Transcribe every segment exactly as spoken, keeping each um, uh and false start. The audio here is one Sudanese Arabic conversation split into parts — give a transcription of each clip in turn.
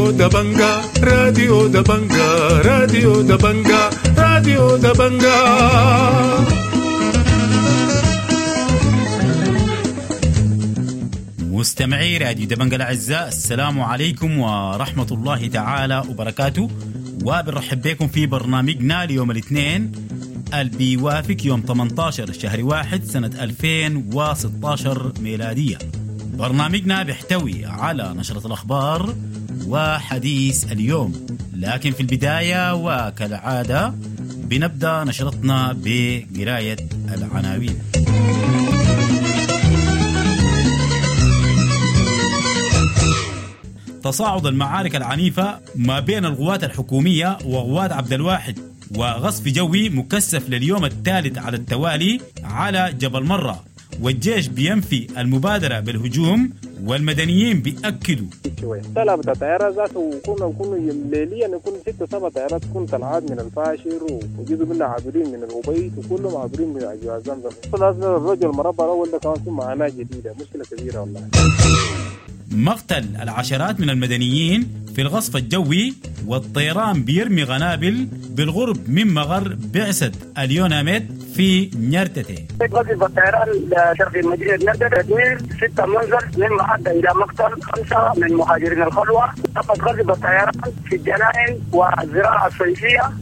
راديو دبنجا راديو دبنجا راديو دبنجا راديو دبنجا. مستمعي راديو دبنجا الأعزاء، السلام عليكم ورحمة الله تعالى وبركاته، وبنرحب بكم في برنامجنا ليوم الاثنين اللي بيوافق يوم ثمانية عشر شهر واحد سنة ألفين وستة عشر ميلادية. برنامجنا بيحتوي على نشرة الأخبار وحديث اليوم، لكن في البداية وكالعادة بنبدأ نشرتنا بقراية العناوين. تصاعد المعارك العنيفة ما بين القوات الحكومية وقوات عبد الواحد، وغصف جوي مكثف لليوم الثالث على التوالي على جبل مرة، والجيش بينفي المبادرة بالهجوم والمدنيين بيأكدوا. طلبت طيارات ذاته وكنا كنا ليليا نكون ست سبع طيارات تكون طلعات من الفاشر وجزء منها عابرين من الأبيض وكلهم عابرين من أجواء زمزم. لازم الرجل المربع الأول ده كمان في معاناة جديدة، مشكلة كبيرة والله. مقتل العشرات من المدنيين في الغصف الجوي، والطيران بيرمي غنابل بالغرب من مغر بعثة اليوناميد في نيرتتي. قذف الطيران شرق مدينة نيرتتي تدمير ستة منزل مما أدى إلى مقتل خمسة من مهاجرين الخلوة. فقد قذف الطيران في الجنائن والزراعة الصيفية.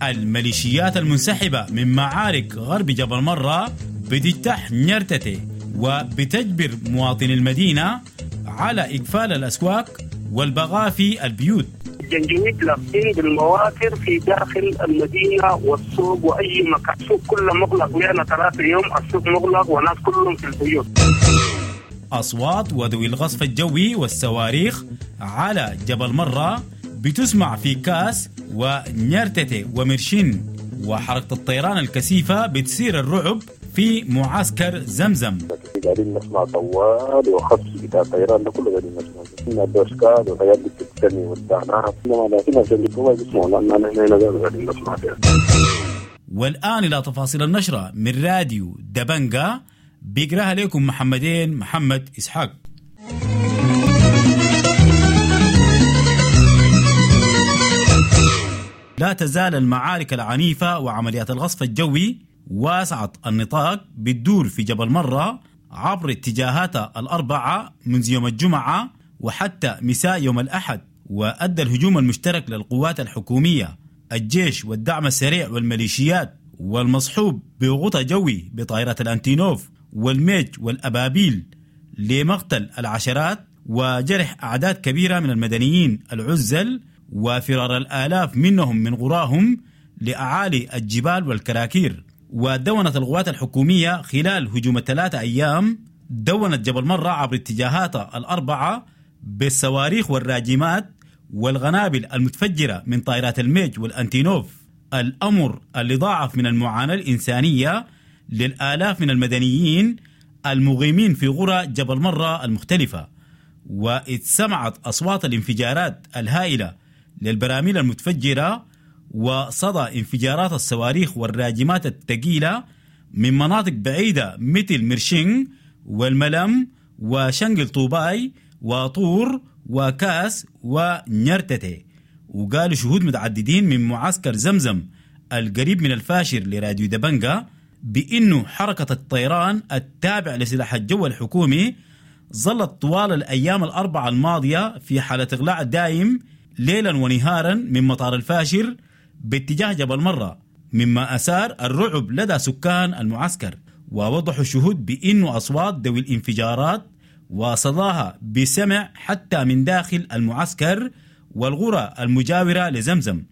الميليشيات المنسحبة من معارك غرب جبل مرة بتجتاح نيرتتي وبتجبر مواطني المدينة على إقفال الأسواق والبغاء في البيوت. الجنجويد لابسين بالمواتر في داخل المدينة والسوق وأي مكان، السوق كله مغلق، لنا ثلاثة يوم السوق مغلق والناس كلهم في البيوت. أصوات وذوي الغصف الجوي والصواريخ على جبل مرة بتسمع في كاس ونيرتتي ومرشين، وحركة الطيران الكثيفة بتثير الرعب في معسكر زمزم. قاعدين نسمع طوال وخفش بتاع الطيران ده كله قاعدين نسمع الدوشكات والحاجات دي بتتسمي والدعنات، لكن عشان بيسمعوا لأن نحن هنا قاعدين نسمع فيها. والآن إلى تفاصيل النشرة من راديو دبنجا، بيقراها لكم محمدين محمد إسحاق. لا تزال المعارك العنيفة وعمليات الغصف الجوي واسعة النطاق بتدور في جبل مرة عبر اتجاهاتها الأربعة منذ يوم الجمعة وحتى مساء يوم الأحد، وأدى الهجوم المشترك للقوات الحكومية الجيش والدعم السريع والميليشيات والمصحوب بغطاء جوي بطائرات الأنتينوف والميج والأبابيل لمقتل العشرات وجرح أعداد كبيرة من المدنيين العزل وفرار الآلاف منهم من قراهم لأعالي الجبال والكراكير. ودونت القوات الحكومية خلال هجوم الثلاثة أيام دونت جبل مرة عبر اتجاهاتها الأربعة بالصواريخ والراجمات والغنابل المتفجرة من طائرات الميج والأنتينوف، الأمر اللي ضاعف من المعاناة الإنسانية للآلاف من المدنيين المقيمين في قرى جبل مرة المختلفة. واتسمعت أصوات الانفجارات الهائلة للبراميل المتفجرة وصدى انفجارات الصواريخ والراجمات الثقيلة من مناطق بعيدة مثل مرشين والملم وشنقل طوباي وطور وكاس ونيرتتي. وقالوا شهود متعددين من معسكر زمزم القريب من الفاشر لراديو دبنجا بأنه حركة الطيران التابع لسلاح الجو الحكومي ظلت طوال الأيام الأربعة الماضية في حالة إغلاق دائم ليلا ونهارا من مطار الفاشر باتجاه جبل مرة، مما أثار الرعب لدى سكان المعسكر. ووضحوا الشهود بأنه أصوات ذوي الانفجارات وصداها بسمع حتى من داخل المعسكر والغرى المجاورة لزمزم.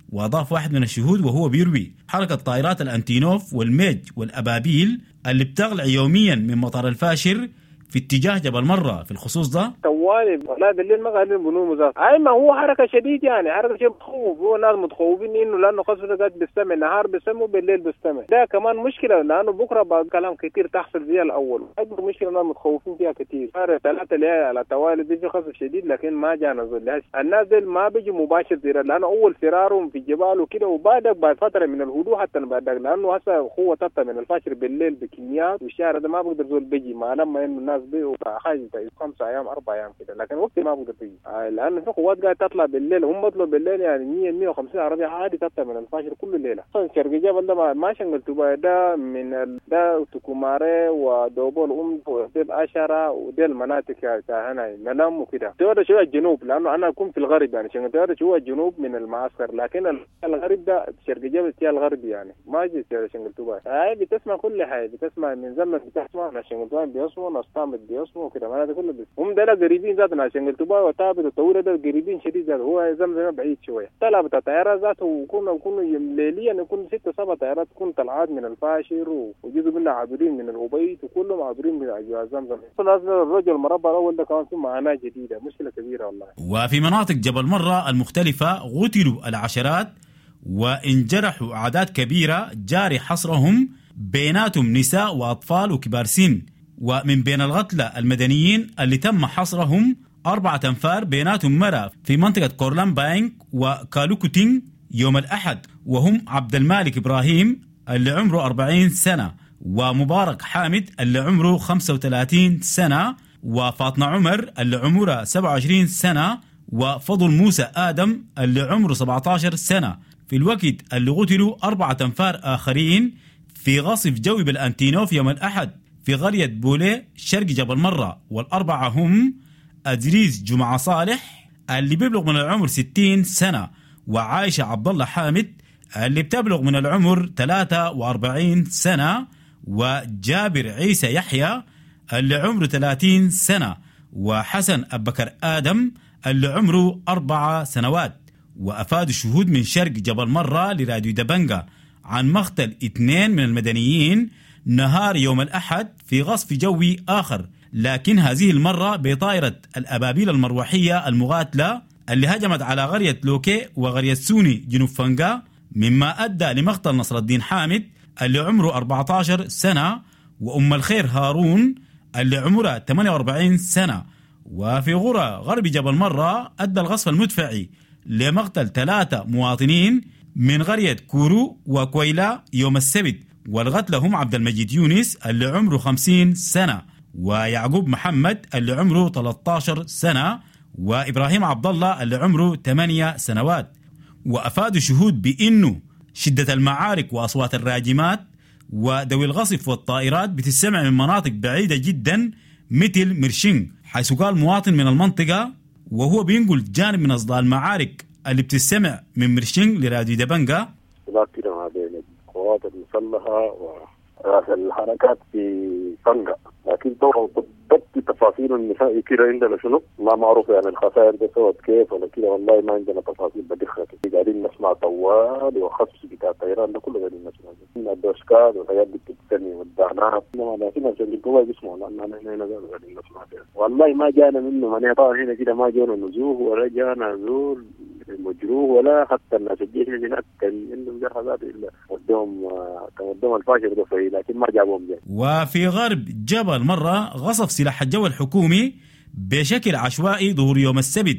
وأضاف واحد من الشهود وهو بيروي حركة طائرات الأنتينوف والميج والأبابيل اللي بتغلع يوميا من مطار الفاشر في اتجاه جبل مرة في الخصوص ده طوالي والله بالليل ما قاعدين بنوم ذات. اي ما هو حركة شديد يعني حركة شيء بتخوف، هو الناس متخوفين انه لانه قصف قاعد بالسمع نهار بالسمع وبالليل بالسمع، ده كمان مشكلة لانه بكره بعد كلام كثير تحصل زي الاول. اكبر مشكلة الناس متخوفين فيها كثير. ثلاثة ليالي على توالي دي في قصف شديد، لكن ما جانا زول. الناس دي ما بيجوا مباشر زي لانه اول فرارهم في الجبال وكده، وبعدك بعد فترة من الهدوء حتى بعدك لانه هسه قوة تطلع من الفاشر بالليل بكميات، والشارع ده ما بقدر زول بيجي ما لما انه الناس ناس بيعوا حاجة خمسة ايام اربع ايام كده، لكن وقت ما بقدر تيجي آه لانه في قوات قاعدة تطلع بالليل، هم بطلعوا بالليل يعني مية مية وخمسين عربية عادي تطلع من الفاشر كل ليلة. شرق جبل ده ما شنقل ده من ال... ده تكوماري ودوبول ام وديل عشرة وديل مناطق هنا ملام وكده. تيودا شوية الجنوب لانه انا اكون في الغرب يعني شنقل شوية الجنوب من المعسكر، لكن الغرب ده شرق جبل تيا الغرب يعني ما جي شنقل. هاي بتسمع كل حاجة، بتسمع من زمن بتسمع ناس شنقل بيسمعوا ناس تامت بيسمعوا كده، معناته كله بس هم ده قريبين ذات ناس شنقل وتابت الطويلة ده قريبين شديد ذات، هو زمزم بعيد شوية. طلع بتاع طيارات ذاته وكنا وكنا ليليا يكون ستة سبع طيارات تكون طلعات من الفاشر وجزء منها عابرين من الأبيض وكلهم عابرين من أجواء زمزم. الرجل المربع الأول ده كان في معاناة جديدة، مشكلة كبيرة والله. وفي مناطق جبل مرة المختلفة قتلوا العشرات وانجرحوا أعداد كبيرة جاري حصرهم، بيناتهم نساء وأطفال وكبار سن. ومن بين القتلى المدنيين اللي تم حصرهم أربعة أنفار بيناتهم مرة في منطقة كورلان باينك وكالوكوتين يوم الأحد، وهم عبد المالك إبراهيم اللي عمره أربعين سنة، ومبارك حامد اللي عمره خمسة وثلاثين سنة، وفاطمة عمر اللي عمرها سبعة وعشرين سنة، وفضل موسى آدم اللي عمره سبعة عشر سنة. في الوقت اللي قتلوا أربعة أنفار آخرين في غصف جوي بالأنتينوف يوم الأحد في قرية بولي شرق جبل مرة، والأربعة هم أدريس جمعة صالح اللي بيبلغ من العمر ستين سنة، وعايشة عبد الله حامد اللي بتبلغ من العمر ثلاثة وأربعين سنة، وجابر عيسى يحيى اللي عمره ثلاثين سنة، وحسن أبكر آدم اللي عمره أربع سنوات. وأفاد الشهود من شرق جبل مرة لراديو دبنجا عن مقتل اثنين من المدنيين نهار يوم الأحد في غصف جوي آخر، لكن هذه المرة بطائرة الأبابيل المروحية المغاتلة اللي هجمت على قرية لوكي وقرية سوني جنوب فنجا، مما أدى لمقتل نصر الدين حامد اللي عمره أربعة عشر سنة، وأم الخير هارون اللي عمرها ثمانية وأربعين سنة. وفي غرى غرب جبل مرة أدى الغصف المدفعي لمقتل ثلاثة مواطنين من قرية كورو وكويلا يوم السبت، والقتلى هم عبد المجيد يونس اللي عمره خمسين سنة، ويعقوب محمد اللي عمره ثلاثة عشر سنة، وإبراهيم عبد الله اللي عمره ثمانية سنوات. وأفادوا شهود بأنه شدة المعارك وأصوات الراجمات ودوي الغصف والطائرات بتسمع من مناطق بعيدة جدا مثل مرشين، حيث قال مواطن من المنطقة وهو بينقل جانب من أصداء المعارك اللي بتسمع من مرشين لراديو دبنجا. كده ما بين القوات المسلحة ورأس الحركات في فنجا، لكن طبعا بالضبط تفاصيل النهائي كده عندنا شنو ما معروف، يعني الخسائر ده سوت كيف ولا كده والله ما عندنا تفاصيل بدقة. قاعدين نسمع طوال وخص بتاع الطيران ده كله قاعدين نسمع الدوشكات والحاجات دي بتتسمي والدعنات، لكن عشان جوا بيسمعوا لان احنا هنا قاعدين نسمع فيها. والله ما جانا منه مانع طبعا، هنا كده ما جانا نزوه ولا جانا زول مجروح ولا حتى الناس الجيش هناك كان عندهم جرح ذات الا ودهم كان ودهم الفاشر ده، لكن ما جابهم جاي. وفي غرب جبل مرة غصف سلاح الجو الحكومي بشكل عشوائي ظهور يوم السبت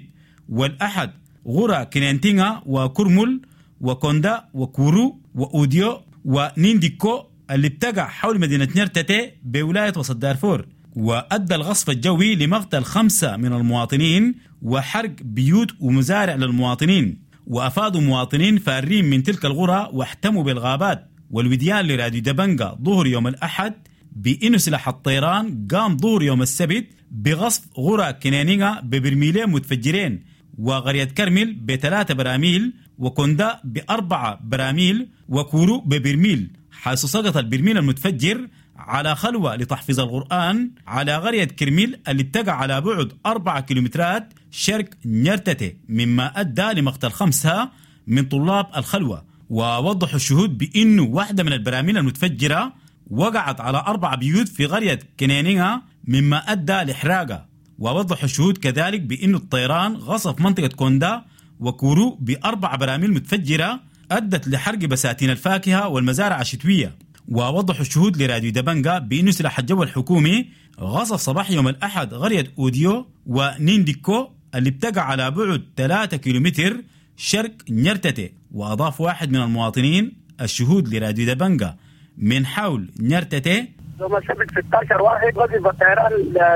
والأحد غرى كنينتينغا وكرمل وكوندا وكورو وأوديو ونينديكو اللي بتقع حول مدينة نيرتتي بولاية وسط دارفور. وأدى الغصف الجوي لمقتل خمسة من المواطنين وحرق بيوت ومزارع للمواطنين. وأفادوا مواطنين فارين من تلك الغرى واحتموا بالغابات والوديان لراديو دبنجا ظهر يوم الأحد بإنه سلاح الطيران قام ظهر يوم السبت بغصف غرى كنينينغا ببرميلين متفجرين، وقرية كرمل بثلاثة براميل، وكوندا بأربعة براميل، وكورو ببرميل، حيث سقط البرميل المتفجر على خلوة لتحفيظ القرآن على قرية كرميل اللي بتقع على بعد أربعة كيلومترات شرق نيرتتي، مما أدى لمقتل خمسة من طلاب الخلوة. ووضحوا الشهود بأنه واحدة من البراميل المتفجرة وقعت على أربع بيوت في قرية كنينينغا مما أدى لإحراقها. ووضحوا الشهود كذلك بأن الطيران غصف منطقة كوندا وكورو بأربع براميل متفجرة أدت لحرق بساتين الفاكهة والمزارع الشتوية. ووضحوا الشهود لراديو دبنجا بأن سلاح الجو الحكومي غصف صباح يوم الأحد قرية أوديو ونينديكو اللي بتقع على بعد ثلاثة كيلومتر شرق نيرتتي. وأضاف واحد من المواطنين الشهود لراديو دبنجا من حول نيرتتي: يوم السبت ستة عشر واحد غزو الطيران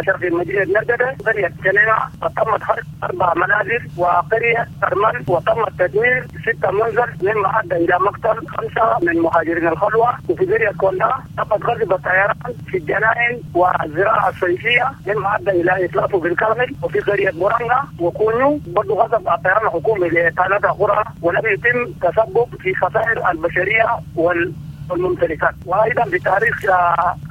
شرق مدينة نرددة قرية سنينة، وتمت حرق أربع منازل وقرية أرمل، وتم تدمير ستة منزل مما أدى إلى مقتل خمسة من مهاجرين الخلوة. وفي قرية كولا تمت غزو الطيران في الجنائن والزراعة الصيفية مما أدى إلى إتلافه بالكامل. وفي قرية بورانغا وكونيو برضو غزو الطيران الحكومي لثلاثة قرى ولم يتم تسبب في خسائر البشرية وال والممتلكات. وايضا بتاريخ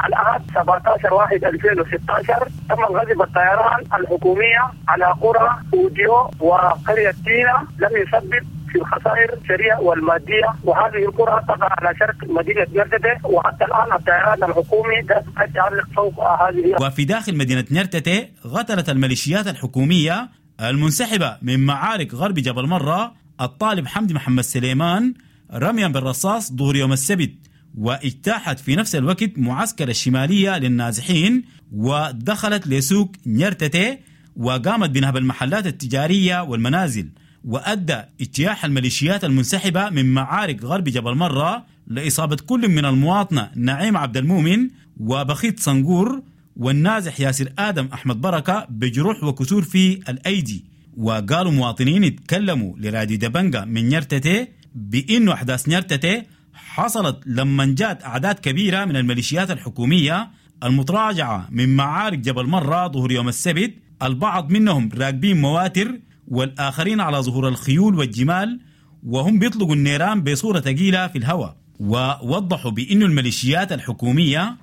الاحد سبعة عشر واحد ألفين وستة عشر تم الغزو بالطيران الحكوميه على قرى اوديو وقريه تينا لم يسبب في الخسائر البشريه والماديه، وهذه القرى تقع على شرق مدينه نرتته، وحتى الان الطيران الحكومي يتعلق فوق هذه. وفي داخل مدينه نرتته قتلت الميليشيات الحكوميه المنسحبه من معارك غرب جبل مرة الطالب حمدي محمد سليمان رميا بالرصاص ظهر يوم السبت، واجتاحت في نفس الوقت معسكر الشمالية للنازحين ودخلت لسوق نيرتتي وقامت بنهب المحلات التجارية والمنازل. وأدى اجتياح الميليشيات المنسحبة من معارك غرب جبل مرة لإصابة كل من المواطنة نعيم عبد المؤمن وبخيت صنقور والنازح ياسر آدم أحمد بركة بجروح وكسور في الأيدي. وقالوا مواطنين اتكلموا لراديو دبنجا من نيرتتي بأنه أحداث نيرتتي حصلت لما جاءت أعداد كبيرة من الميليشيات الحكومية المتراجعة من معارك جبل مرة ظهر يوم السبت، البعض منهم راكبين مواتر والآخرين على ظهور الخيول والجمال، وهم بيطلقوا النيران بصورة ثقيلة في الهواء. ووضحوا بأن الميليشيات الحكومية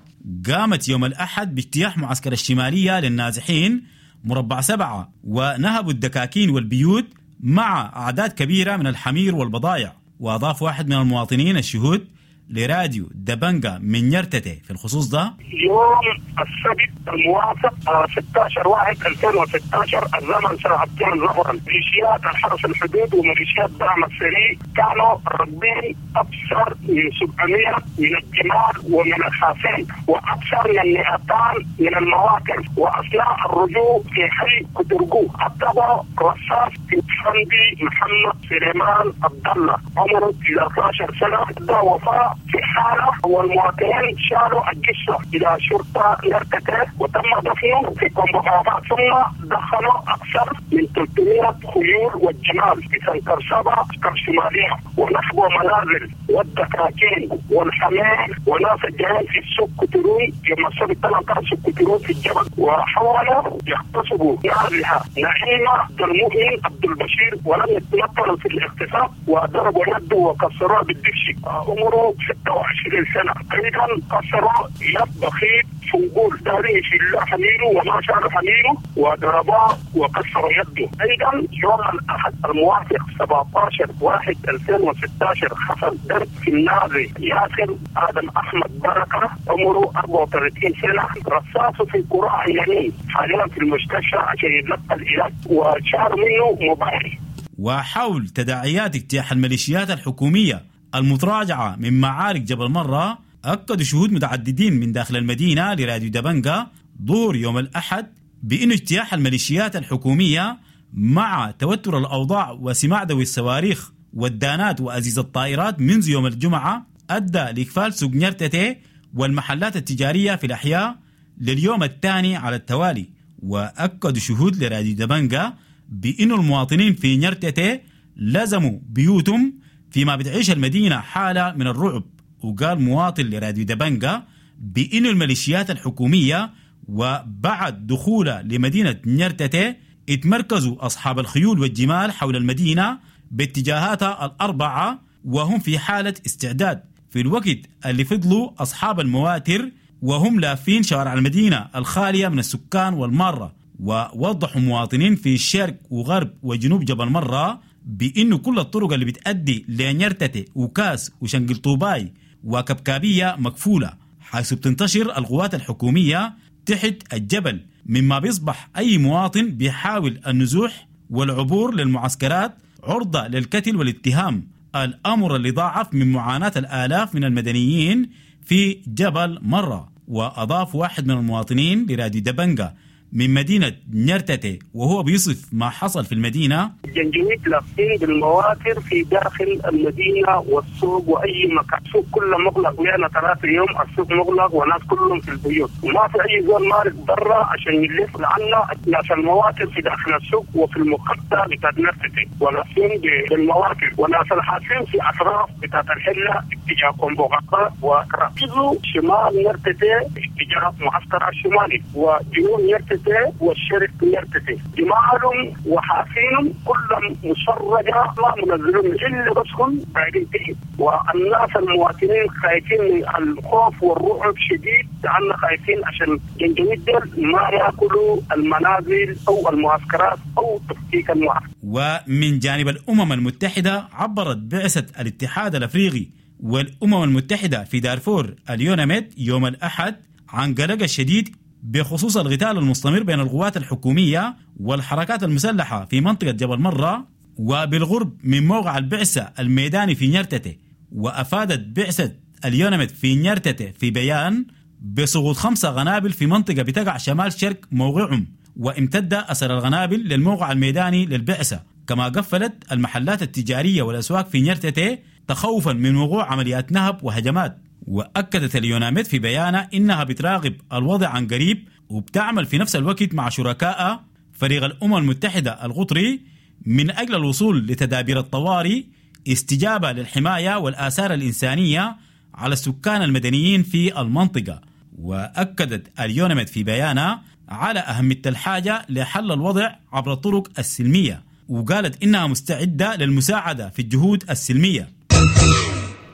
قامت يوم الأحد باجتياح معسكر الشمالية للنازحين مربع سبعة ونهبوا الدكاكين والبيوت مع أعداد كبيرة من الحمير والبضائع. وأضاف واحد من المواطنين الشهود لراديو دبنجا من نيرتتي في الخصوص ده: يوم السبت الموافق ستة عشر واحد ألفين وستة عشر الزمن ساعة اثنين ظهرا، ميليشيات الحرس الحدود وميليشيات دعم السريع كانوا راكبين أكثر من سبعمئة من الجمال ومن الحافين وأكثر من مئتين من المواكب، وأثناء الرجوع في حي كترجو أطلقوا رصاص في حمدي محمد سليمان عبد الله عمره تسعة عشر سنة، ده وفاة في حالة، والمواطنين شالوا الجثة إلى شرطة نرتته وتم دفنه في كومبوهات، ثم دخلوا أكثر من ثلاثمئة خيول والجمال في سنتر سبعة الشمالية ونحو منازل والدكاكين والحمام وناس الجمال في السوق كترون يوم السبت ثلاثة عشر سوق كترون في الجبل، وحاولوا يغتصبوا نازلها نعيمة عبد المؤمن عبد البشير ولم يتمكنوا في الاغتصاب وضربوا يده وكسروها بالدبش، عمره ستة وعشرين سنة. أيضا كسروا يد بخيت فنقول داري في الله حميره وما شال حميره وضرباه وكسروا يده. أيضا يوم الأحد الموافق سبعة عشر واحد ألفين وستة عشر حصل ضرب في النازي ياسر آدم أحمد بركة عمره أربعة وثلاثين سنة، رصاصه في قراع اليمين، حاليا في المستشفى عشان يتلقى العلاج وشال منه موبايل. وحول تداعيات اجتياح الميليشيات الحكومية المتراجعة من معارك جبل مرة، أكدوا شهود متعددين من داخل المدينة لراديو دبنجا ظهر يوم الأحد بأن اجتياح الميليشيات الحكومية مع توتر الأوضاع وسماع دوي الصواريخ والدانات وأزيز الطائرات منذ يوم الجمعة أدى لإقفال سوق نيرتتي والمحلات التجارية في الأحياء لليوم الثاني على التوالي. وأكدوا شهود لراديو دبنجا بأن المواطنين في نيرتتي لزموا بيوتهم فيما بتعيش المدينة حالة من الرعب. وقال مواطن لراديو دبنجا بأن الميليشيات الحكومية وبعد دخولها لمدينة نيرتتي اتمركزوا أصحاب الخيول والجمال حول المدينة باتجاهاتها الأربعة وهم في حالة استعداد، في الوقت اللي فضلوا أصحاب المواتر وهم لافين شوارع المدينة الخالية من السكان والمارة. ووضحوا مواطنين في الشرق وغرب وجنوب جبل مرة بأنه كل الطرق اللي بتأدي لنيرتتي وكاس وشنقل طوباي وكبكابية مكفولة، حيث بتنتشر القوات الحكومية تحت الجبل، مما بيصبح أي مواطن بيحاول النزوح والعبور للمعسكرات عرضة للقتل والاتهام، الأمر اللي ضاعف من معاناة الآلاف من المدنيين في جبل مرة. وأضاف واحد من المواطنين لراديو دبنجا من مدينة نيرتتي وهو بيصف ما حصل في المدينة. الجنجويد لافين بالمواتر في داخل المدينة والسوق وأي مكان، السوق كله مغلق، لنا ثلاثة يوم السوق مغلق وناس كلهم في البيوت وما في أي زول مارق برا عشان يلف، لأن ناس المواتر في داخل السوق وفي المقطع بتاعت نيرتتي ولافين بالمواتر، وناس الحاسين في أطراف بتاعت الحلة اتجاه كومبوغاقا وركزوا شمال نيرتتي اتجاه معسكر الشمالي وجنوب نيرتتي والشرق نيرتتي، جمالهم وحافينهم كلهم مشرجة ما منزلون إلا بس هم بعيدين تحت، والناس المواطنين خايفين من الخوف والرعب شديد، لأن خايفين عشان جنجويد ديل ما يأكلوا المنازل أو المعسكرات أو تفكيك المعسكر. ومن جانب الأمم المتحدة عبرت بعثة الاتحاد الأفريقي والأمم المتحدة في دارفور اليوناميد يوم الأحد عن قلق الشديد بخصوص القتال المستمر بين القوات الحكومية والحركات المسلحة في منطقة جبل مرة وبالغرب من موقع البعثة الميداني في نيرتتي. وأفادت بعثة اليوناميد في نيرتتي في بيان بسقوط خمسة غنابل في منطقة بتقع شمال شرق موقعهم، وامتد أثر الغنابل للموقع الميداني للبعثة. كما قفلت المحلات التجارية والأسواق في نيرتتي تخوفا من وقوع عمليات نهب وهجمات. وأكدت اليوناميد في بيانها إنها بتراقب الوضع عن قريب وبتعمل في نفس الوقت مع شركائها فريق الأمم المتحدة القطري من أجل الوصول لتدابير الطوارئ استجابة للحماية والآثار الإنسانية على السكان المدنيين في المنطقة. وأكدت اليوناميد في بيانها على أهمية الحاجة لحل الوضع عبر الطرق السلمية، وقالت إنها مستعدة للمساعدة في الجهود السلمية.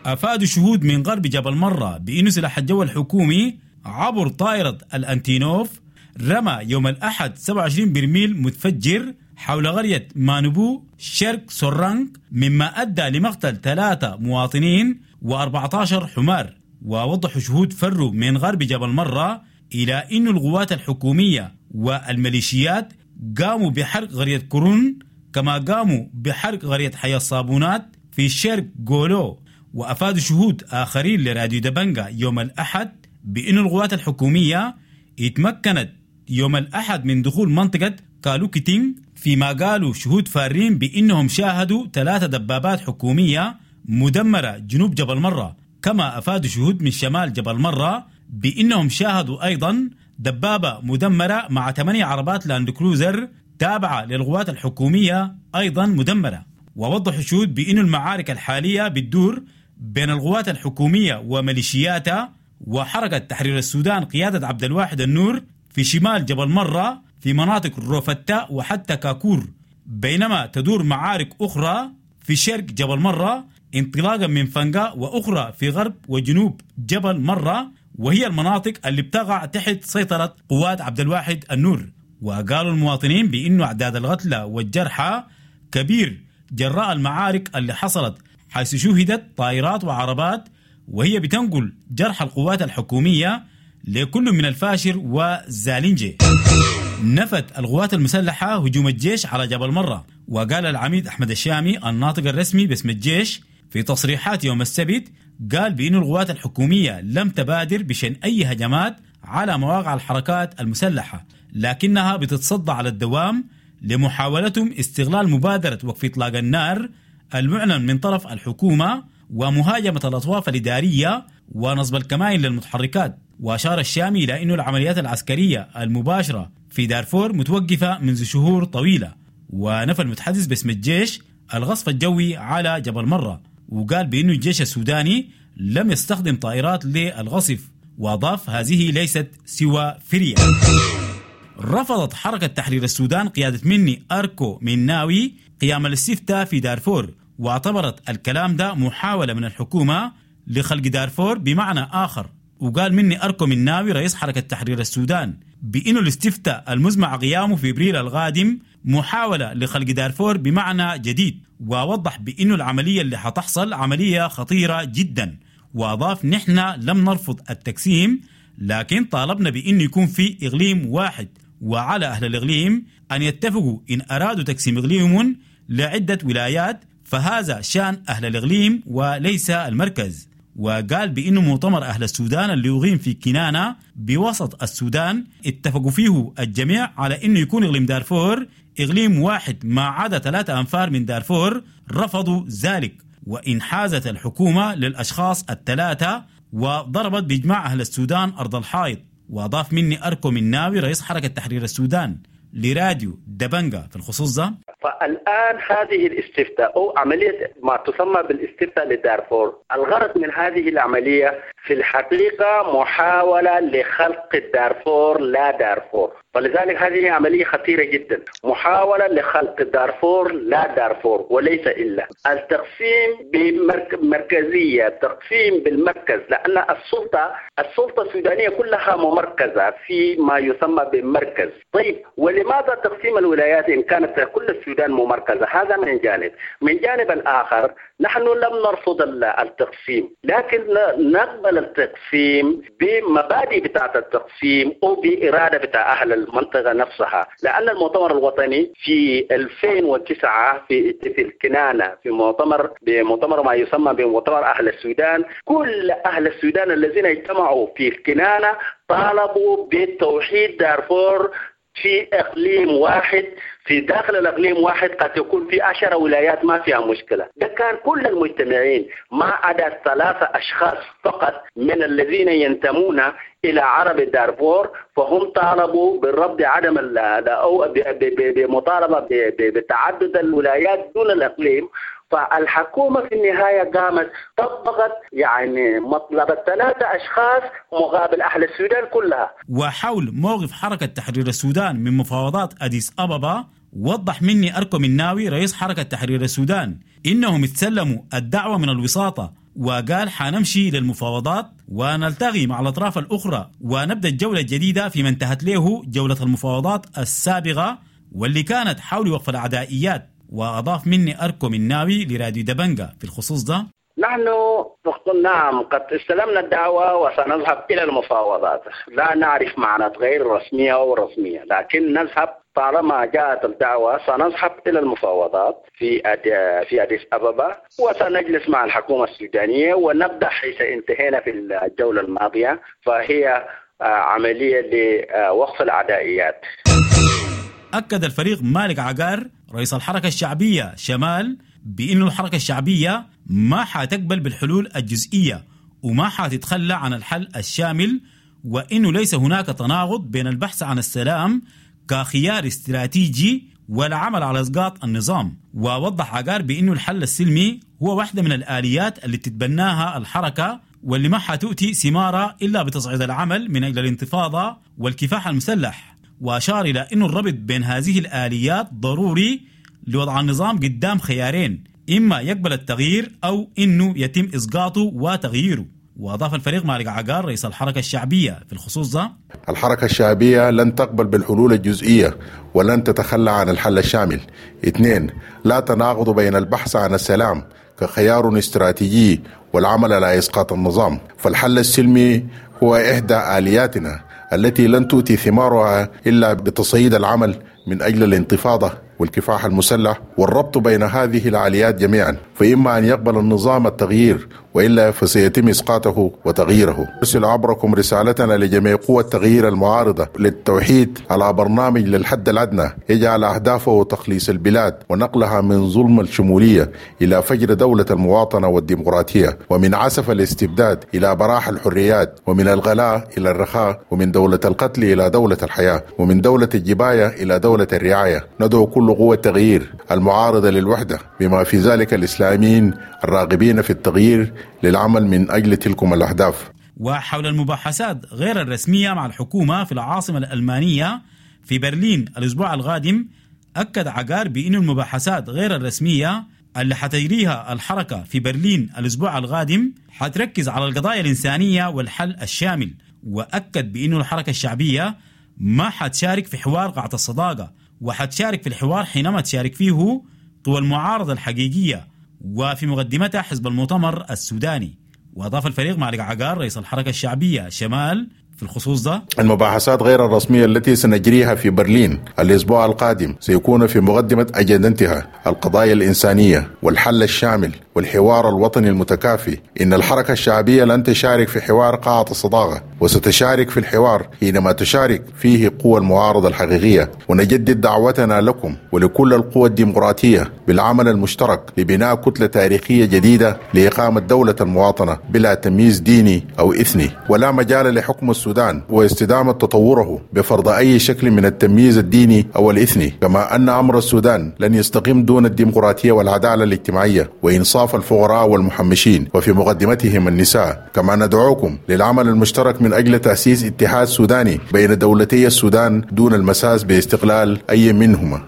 أفادوا شهود من غرب جبل مرة بأن سلاح الجو الحكومي عبر طائرة الأنتينوف رمى يوم الأحد سبعة وعشرين برميل متفجر حول قرية مانبو شرق سورانج، مما أدى لمقتل ثلاثة مواطنين وأربعة عشر حمار. ووضحوا شهود فروا من غرب جبل مرة إلى أن القوات الحكومية والميليشيات قاموا بحرق قرية كورون، كما قاموا بحرق قرية حي الصابونات في شرق غولو. وأفادوا شهود آخرين لراديو دبنجا يوم الأحد بأن القوات الحكومية اتمكنت يوم الأحد من دخول منطقة كالوكيتين، فيما قالوا شهود فارين بأنهم شاهدوا ثلاثة دبابات حكومية مدمرة جنوب جبل مرة. كما أفادوا شهود من شمال جبل مرة بأنهم شاهدوا أيضا دبابة مدمرة مع ثمانية عربات لاند كروزر تابعة للقوات الحكومية أيضا مدمرة. ووضحوا شهود بأن المعارك الحالية بتدور بين القوات الحكومية وميليشياتها وحركة تحرير السودان قيادة عبد الواحد النور في شمال جبل مرة في مناطق روفتا وحتى كاكور، بينما تدور معارك أخرى في شرق جبل مرة انطلاقا من فنقا، وأخرى في غرب وجنوب جبل مرة، وهي المناطق اللي بتقع تحت سيطرة قوات عبد الواحد النور. وقالوا المواطنين بأنه أعداد القتلى والجرحى كبير جراء المعارك اللي حصلت، حيث شوهدت طائرات وعربات وهي بتنقل جرح القوات الحكومية لكل من الفاشر وزالينجي. نفت القوات المسلحة هجوم الجيش على جبل مرة. وقال العميد أحمد الشامي الناطق الرسمي باسم الجيش في تصريحات يوم السبت، قال بأن القوات الحكومية لم تبادر بشأن أي هجمات على مواقع الحركات المسلحة، لكنها بتتصدى على الدوام لمحاولتهم استغلال مبادرة وقف إطلاق النار المعلن من طرف الحكومة ومهاجمة الأطواف الإدارية ونصب الكمائن للمتحركات. وأشار الشامي إلى أن العمليات العسكرية المباشرة في دارفور متوقفة منذ شهور طويلة. ونفى المتحدث باسم الجيش الغصف الجوي على جبل مرة، وقال بأن الجيش السوداني لم يستخدم طائرات للغصف، وأضاف هذه ليست سوى فرية. رفضت حركة تحرير السودان قيادة مني أركو مناوي قيام الاستفتاء في دارفور، واعتبرت الكلام ده محاولة من الحكومة لخلق دارفور بمعنى آخر. وقال مني أركو مناوي رئيس حركة تحرير السودان بأنه الاستفتاء المزمع قيامه في إبريل القادم محاولة لخلق دارفور بمعنى جديد، ووضح بأنه العملية اللي حتحصل عملية خطيرة جدا. وأضاف نحن لم نرفض التقسيم، لكن طالبنا بأنه يكون في إقليم واحد، وعلى أهل الإقليم أن يتفقوا إن أرادوا تقسيم إقليمهم لعدة ولايات، فهذا شأن أهل الإقليم وليس المركز. وقال بأنه مؤتمر أهل السودان اللي يقيم في كنانة بوسط السودان اتفقوا فيه الجميع على أنه يكون إقليم دارفور إقليم واحد، ما عدا ثلاثة أنفار من دارفور رفضوا ذلك، وإنحازت الحكومة للأشخاص الثلاثة وضربت بإجماع أهل السودان أرض الحائط. وأضاف مني أركو مناوي رئيس حركة تحرير السودان لراديو دبنجا في الخصوص ده: فالآن هذه الاستفتاء أو عملية ما تسمى بالاستفتاء لدارفور، الغرض من هذه العملية في الحقيقة محاولة لخلق دارفور لا دارفور، فلذلك هذه عملية خطيرة جدا، محاولة لخلق دارفور لا دارفور وليس إلا. التقسيم بمركزية، التقسيم بالمركز، لأن السلطة السلطة السودانية كلها ممركزة في ما يسمى بالمركز. طيب ولماذا تقسيم الولايات إن كانت كل السودان ممركزة؟ هذا من جانب. من جانب الآخر نحن لم نرفض التقسيم، لكن نقبل التقسيم بمبادئ بتاعة التقسيم أو بإرادة بتاع أهل المنطقة نفسها. لأن المؤتمر الوطني في ألفين وتسعة في في الكنانة في مؤتمر بمؤتمر ما يسمى بمؤتمر أهل السودان، كل أهل السودان الذين اجتمعوا في الكنانة طالبوا بتوحيد دارفور في إقليم واحد، في داخل الإقليم واحد قد يكون في عشر ولايات ما فيها مشكلة. ده كان كل المجتمعين ما عدا ثلاثة أشخاص فقط من الذين ينتمون إلى عرب دارفور، فهم طالبوا بالرفض عدم أو بمطالبة بتعدد الولايات دون الإقليم. فالحكومة في النهاية قامت طبقت يعني مطلب الثلاثة أشخاص مقابل أهل السودان كلها. وحول موقف حركة تحرير السودان من مفاوضات أديس أبابا، وضح مني أركو مناوي رئيس حركة تحرير السودان إنهم تسلموا الدعوة من الوساطة، وقال حنمشي للمفاوضات ونلتقي مع الأطراف الأخرى ونبدأ الجولة الجديدة فيما انتهت له جولة المفاوضات السابقة واللي كانت حول وقف العدائيات. وأضاف مني أركو مناوي لراديو دبنجا في الخصوص ده: نحن نعم قد استلمنا الدعوة وسنذهب إلى المفاوضات، لا نعرف معنى غير رسمية أو رسمية، لكن نذهب طالما جاءت الدعوة سنذهب إلى المفاوضات في في أديس أبابا، وسنجلس مع الحكومة السودانية ونبدأ حيث انتهينا في الجولة الماضية، فهي عملية لوقف العدائيات. أكد الفريق مالك عقار رئيس الحركة الشعبية شمال بأن الحركة الشعبية ما حتقبل بالحلول الجزئية وما حتتخلى عن الحل الشامل، وإنه ليس هناك تناقض بين البحث عن السلام كخيار استراتيجي والعمل على إسقاط النظام. ووضح عقار بأنه الحل السلمي هو واحدة من الآليات اللي تتبناها الحركة واللي ما حتؤتي ثمارة إلا بتصعيد العمل من أجل الانتفاضة والكفاح المسلح. وأشار إلى أن الربط بين هذه الآليات ضروري لوضع النظام قدام خيارين، إما يقبل التغيير أو إنه يتم إسقاطه وتغييره. وأضاف الفريق مالك عقار رئيس الحركة الشعبية في الخصوص ده: الحركة الشعبية لن تقبل بالحلول الجزئية ولن تتخلى عن الحل الشامل. اثنين، لا تناقض بين البحث عن السلام كخيار استراتيجي والعمل على إسقاط النظام، فالحل السلمي هو إحدى آلياتنا التي لن تؤتي ثمارها إلا بتصعيد العمل من أجل الانتفاضة والكفاح المسلح والربط بين هذه العاليات جميعا، فإما أن يقبل النظام التغيير وإلا فسيتم إسقاطه وتغييره. أرسل عبركم رسالتنا لجميع قوى التغيير المعارضة للتوحيد على برنامج للحد الأدنى يجعل أهدافه تخليص البلاد ونقلها من ظلم الشمولية إلى فجر دولة المواطنة والديمقراطية، ومن عسف الاستبداد إلى براح الحريات، ومن الغلاء إلى الرخاء، ومن دولة القتل إلى دولة الحياة، ومن دولة الجباية إلى دولة الرعاية. ندعو كل قوى التغيير المعارضة للوحدة بما في ذلك الإسلاميين الراغبين في التغيير للعمل من أجل تلكم الأهداف. وحول المباحثات غير الرسمية مع الحكومة في العاصمة الألمانية في برلين الأسبوع القادم، أكد عقار بأن المباحثات غير الرسمية اللي حتجريها الحركة في برلين الأسبوع القادم حتركز على القضايا الإنسانية والحل الشامل. وأكد بأن الحركة الشعبية ما حتشارك في حوار قاعة الصداقة، وحتشارك في الحوار حينما تشارك فيه قوى المعارضة الحقيقية وفي مقدمتها حزب المؤتمر السوداني. وأضاف الفريق مالك عقار رئيس الحركة الشعبية شمال في الخصوص ده: المباحثات غير الرسمية التي سنجريها في برلين الأسبوع القادم سيكون في مقدمة أجندتها القضايا الإنسانية والحل الشامل والحوار الوطني المتكافي. إن الحركة الشعبية لن تشارك في حوار قاعة الصداقة، وستشارك في الحوار حينما تشارك فيه قوى المعارضة الحقيقية. ونجدد دعوتنا لكم ولكل القوى الديمقراطية بالعمل المشترك لبناء كتلة تاريخية جديدة لإقامة دولة المواطنة بلا تمييز ديني أو إثني، ولا مجال لحكم السودان واستدامة تطوره بفرض أي شكل من التمييز الديني أو الإثني. كما أن أمر السودان لن يستقيم دون الديمقراطية والعدالة الاجتماعية وإنصاف الفقراء والمحمشين وفي مقدمتهم النساء. كما ندعوكم للعمل المشترك من أجل تأسيس اتحاد سوداني بين دولتي السودان دون المساس باستقلال أي منهما.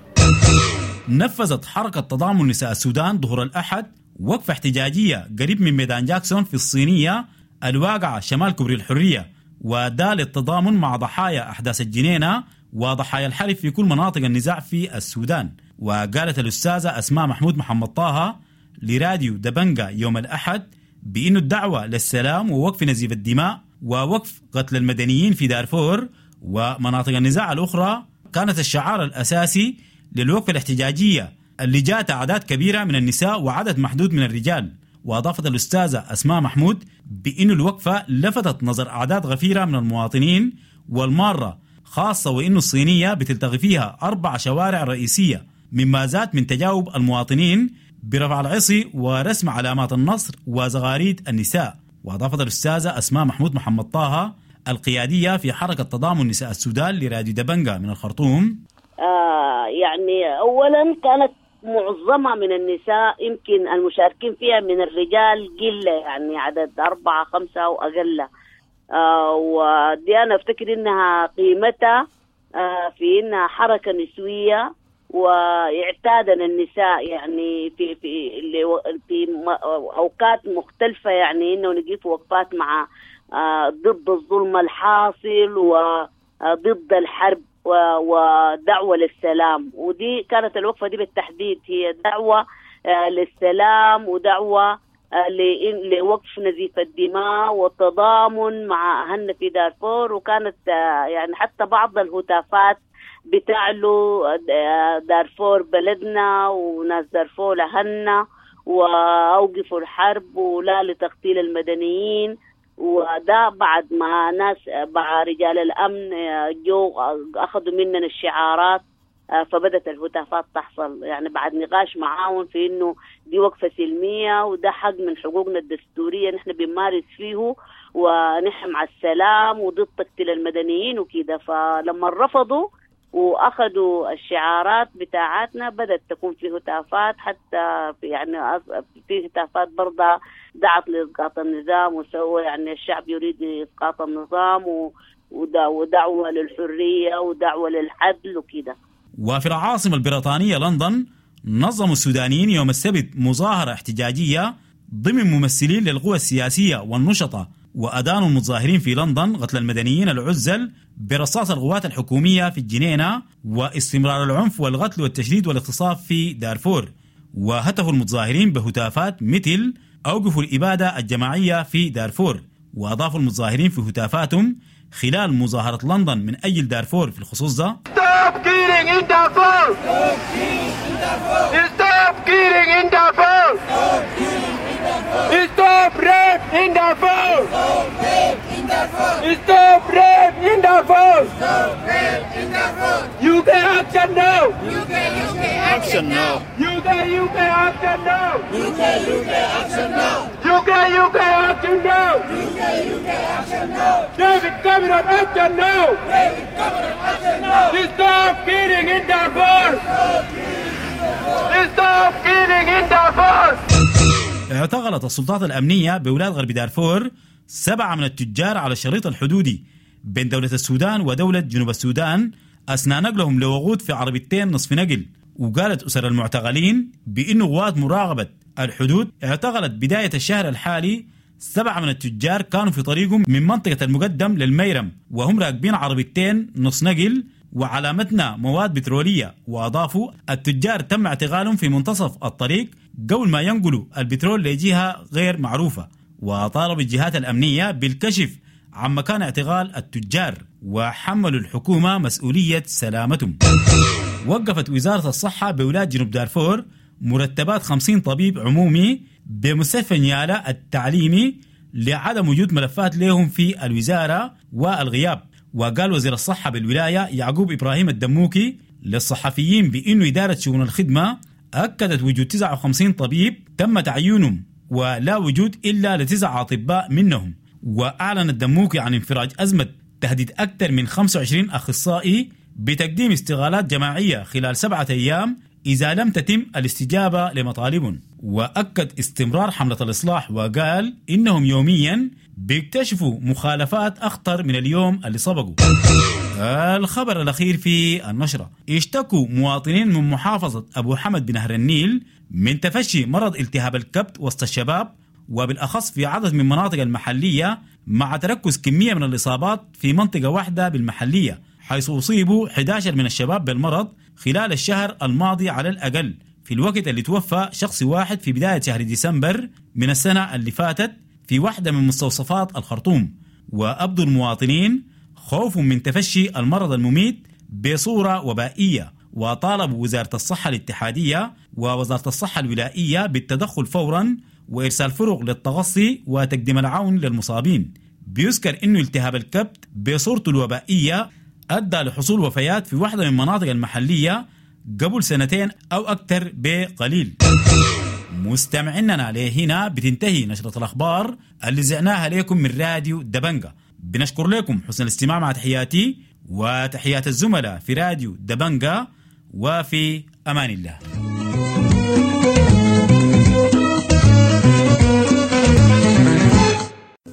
نفذت حركة تضامن نساء السودان ظهر الأحد وقفة احتجاجية قريب من ميدان جاكسون في الصينية الواقعة شمال كوبري الحرية، وده للتضامن مع ضحايا أحداث الجنينة وضحايا الحرب في كل مناطق النزاع في السودان. وقالت الأستاذة أسماء محمود محمد طه لراديو دبنجا يوم الأحد بأن الدعوة للسلام ووقف نزيف الدماء ووقف قتل المدنيين في دارفور ومناطق النزاع الأخرى كانت الشعار الأساسي للوقفة الاحتجاجية اللي جاءت أعداد كبيرة من النساء وعدد محدود من الرجال. وأضافت الأستاذة أسماء محمود بأن الوقفة لفتت نظر أعداد غفيرة من المواطنين والمارة، خاصة وإن الصينية بتلتقي فيها أربع شوارع رئيسية، مما زاد من تجاوب المواطنين برفع العصي ورسم علامات النصر وزغاريد النساء. وأضافت الأستاذة أسماء محمود محمد طه القيادية في حركة تضامن نساء السودان لراديو دبنجا من الخرطوم: آه يعني أولا كانت معظمها من النساء، يمكن المشاركين فيها من الرجال قلة، يعني عدد أربعة خمسة أو أقل. آه ودي أنا أفتكر إنها قيمتها آه في إنها حركة نسوية، واعتادنا النساء يعني في في في أوقات مختلفة، يعني إنه نقف وقفات مع آه ضد الظلم الحاصل وضد الحرب ودعوة للسلام. ودي كانت الوقفة دي بالتحديد هي دعوة للسلام ودعوة لوقف نزيف الدماء والتضامن مع أهلنا في دارفور. وكانت يعني حتى بعض الهتافات بتعلو دارفور بلدنا وناس دارفور أهلنا وأوقفوا الحرب ولا لتقتيل المدنيين. وده بعد ما ناس مع رجال الأمن جو أخذوا مننا الشعارات، فبدت الهتافات تحصل، يعني بعد نقاش معاهم في إنه دي وقفة سلمية وده حق من حقوقنا الدستورية نحن بنمارس فيه، ونحن مع السلام وضد تقتيل المدنيين وكده. فلما رفضوا واخذوا الشعارات بتاعتنا بدأت تكون في هتافات، حتى في يعني في هتافات برضه دعت لإسقاط النظام وسوى يعني الشعب يريد إسقاط النظام ودعوة للحرية ودعوة للعدل وكده. وفي العاصمة البريطانية لندن نظم السودانيين يوم السبت مظاهرة احتجاجية ضمن ممثلين للقوى السياسية والنشطة، وأدانوا المتظاهرين في لندن قتل المدنيين العزل برصاص القوات الحكومية في الجنينة واستمرار العنف والقتل والتشريد والاغتصاب في دارفور. وهتفوا المتظاهرين بهتافات مثل أوقفوا الإبادة الجماعية في دارفور. وأضافوا المتظاهرين في هتافاتهم خلال مظاهرة لندن من أجل دارفور في الخصوص ده: Stop killing in Darfur! Stop killing in Darfur! Stop rape in Darfur! Stop rape in Darfur! U K action now! U K U K action now! U K U K action now! U K U K action now! U K U K action now! U K U K action now! David Cameron action now! David Cameron action now! Stop killing in Darfur! Stop killing in Darfur! اعتقلت السلطات الأمنية بولاية غرب دارفور سبعة من التجار على الشريط الحدودي بين دولة السودان ودولة جنوب السودان أثناء نقلهم لوقود في عربيتين نصف نقل. وقالت أسر المعتقلين بأن قوات مراقبة الحدود اعتقلت بداية الشهر الحالي سبعة من التجار كانوا في طريقهم من منطقة المقدم للميرم وهم راكبين عربيتين نص نقل وعلامتنا مواد بترولية. وأضافوا التجار تم اعتقالهم في منتصف الطريق قبل ما ينقلوا البترول لجهة غير معروفة. وطالب الجهات الأمنية بالكشف عن مكان اعتقال التجار وحملوا الحكومة مسؤولية سلامتهم. وقفت وزارة الصحة بولاية جنوب دارفور مرتبات خمسين طبيب عمومي بمستشفى نيالا التعليمي لعدم وجود ملفات لهم في الوزارة والغياب. وقال وزير الصحة بالولاية يعقوب إبراهيم الدموكي للصحفيين بأنه إدارة شؤون الخدمة أكدت وجود تسعة وخمسين طبيب تم تعيينهم ولا وجود إلا لتسعة أطباء منهم. وأعلن الدموكي عن انفراج أزمة تهديد أكثر من خمسة وعشرين أخصائي بتقديم استغالات جماعية خلال سبعة أيام إذا لم تتم الاستجابة لمطالبهم. وأكد استمرار حملة الإصلاح وقال إنهم يوميا بيكتشفوا مخالفات أخطر من اليوم اللي سبقوا. الخبر الأخير في النشرة: اشتكوا مواطنين من محافظة أبو حمد بنهر النيل من تفشي مرض التهاب الكبد وسط الشباب، وبالأخص في عدد من مناطق المحلية، مع تركز كمية من الإصابات في منطقة واحدة بالمحلية، حيث أصيبوا أحد عشر من الشباب بالمرض خلال الشهر الماضي على الأقل، في الوقت اللي توفى شخص واحد في بداية شهر ديسمبر من السنة اللي فاتت في واحدة من مستوصفات الخرطوم. وأبدو المواطنين خوف من تفشي المرض المميت بصورة وبائية، وطالبوا وزارة الصحة الاتحادية ووزارة الصحة الولائية بالتدخل فورا وإرسال فرق للتغصي وتقديم العون للمصابين. بيذكر إنه التهاب الكبد بصورته الوبائية أدى لحصول وفيات في واحدة من مناطق المحلية قبل سنتين أو أكثر بقليل. مستمعيننا لهنا بتنتهي نشرة الأخبار اللي زعناها لكم من راديو دبنجة. بنشكر لكم حسن الاستماع، مع تحياتي وتحيات الزملاء في راديو دبنجة، وفي أمان الله.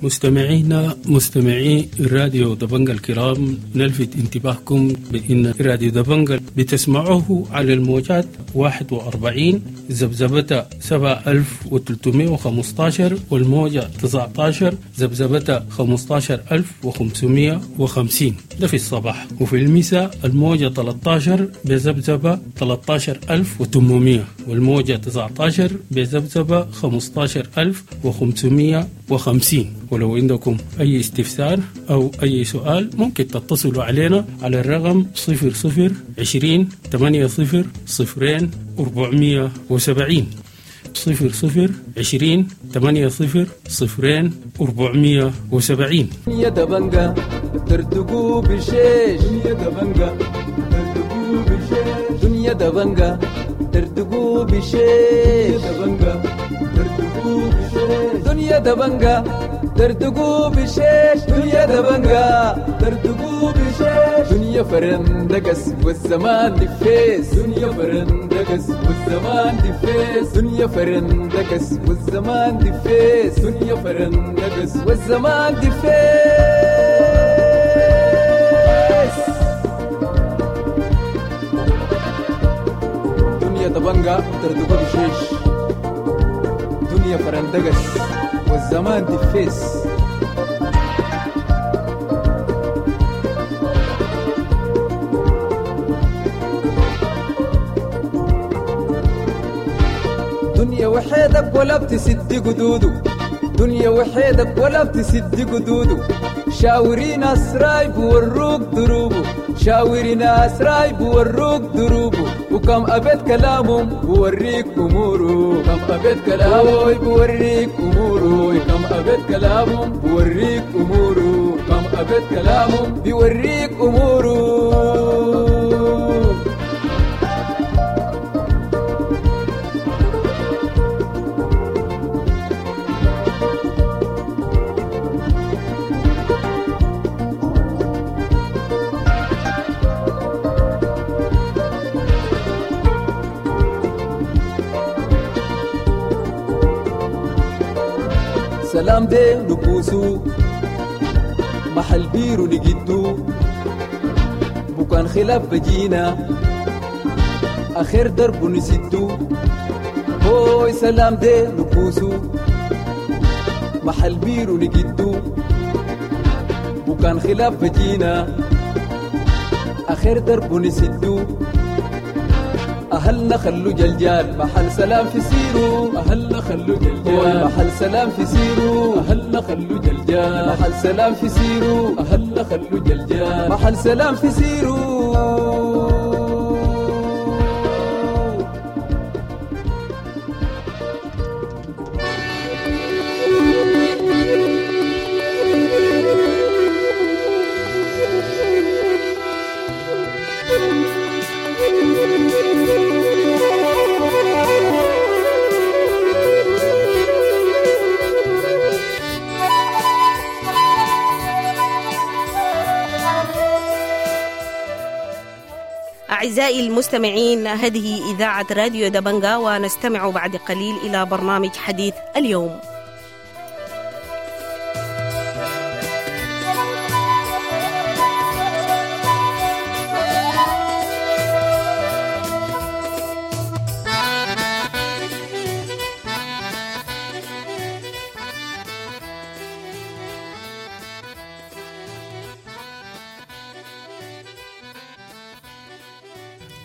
مستمعينا مستمعي راديو دبنجة الكرام، نلفت انتباهكم بأن راديو دبنجة بتسمعوه على الموجات واحد وأربعين ذبذبة سبعة ألف وثلاثمائة وخمسة عشر، والموجة تسعة عشر ذبذبة خمسة عشر ألف وخمسمائة وخمسين، ده في الصباح، وفي المساء الموجة ثلاثة عشر بذبذبة ثلاثة عشر ألف وثمانمائة، والموجة تسعة عشر بذبذبة خمسة عشر ألف وخمسمائة وخمسين. ولو عندكم أي استفسار أو أي سؤال ممكن تتصلوا علينا على الرقم صفر صفر عشرين ثمانية صفر صفرين أربعمية وسبعين، صفر صفر عشرين ثمانية صفر صفرين أربعمية وسبعين. يا دبنجة ترتقوا بالشيش، يا دبنجة ترتقوا بالشيش، دنيا دبنجة ترتقوا بالشيش، يا دبنجة ترتقوا بالشيش، دنيا دبنجة ترتقوا بالشيش، دنيا دبنجة ترتقوا بالشيش، دنيا فرندقس والزمان دفيس، دنيا فرندقس والزمان دفيس، دنيا فرندقس والزمان دفيس، دنيا فرندقس والزمان دفيس. دنيا دبنجة ترتقوا بالشيش، دنيا فرندقس والزمان دفيس. دنيا وحيدك ولا بتسد قدوده، دنيا وحيدك ولا بتسد قدوده، شاوري ناس رايب وروك دروبه، شاوري ناس رايب وروك دروبه، وكم أبيت كلامهم بوريك أموره، كم أبيت كلامه بوريك أموره، كم أبيت كلامهم بوريك أموره، كم أبيت كلامهم بوريك أموره. سلام دي نبوسو محل بيرو نجدو، بكان خلاف بجينا آخر درب نسدو، هوي سلام دي نبوسو محل بيرو نجدو، بكان خلاف بجينا آخر درب نسدو. أهلنا خلو جلجال محل سلام في سيرو، أهلنا خلو جلجال محل سلام في سيرو، أهلنا خلو جلجال محل سلام في سيرو، أهلنا خلو جلجال محل سلام في سيرو. أعزائي المستمعين، هذه إذاعة راديو دبنجا، ونستمع بعد قليل إلى برنامج حديث اليوم.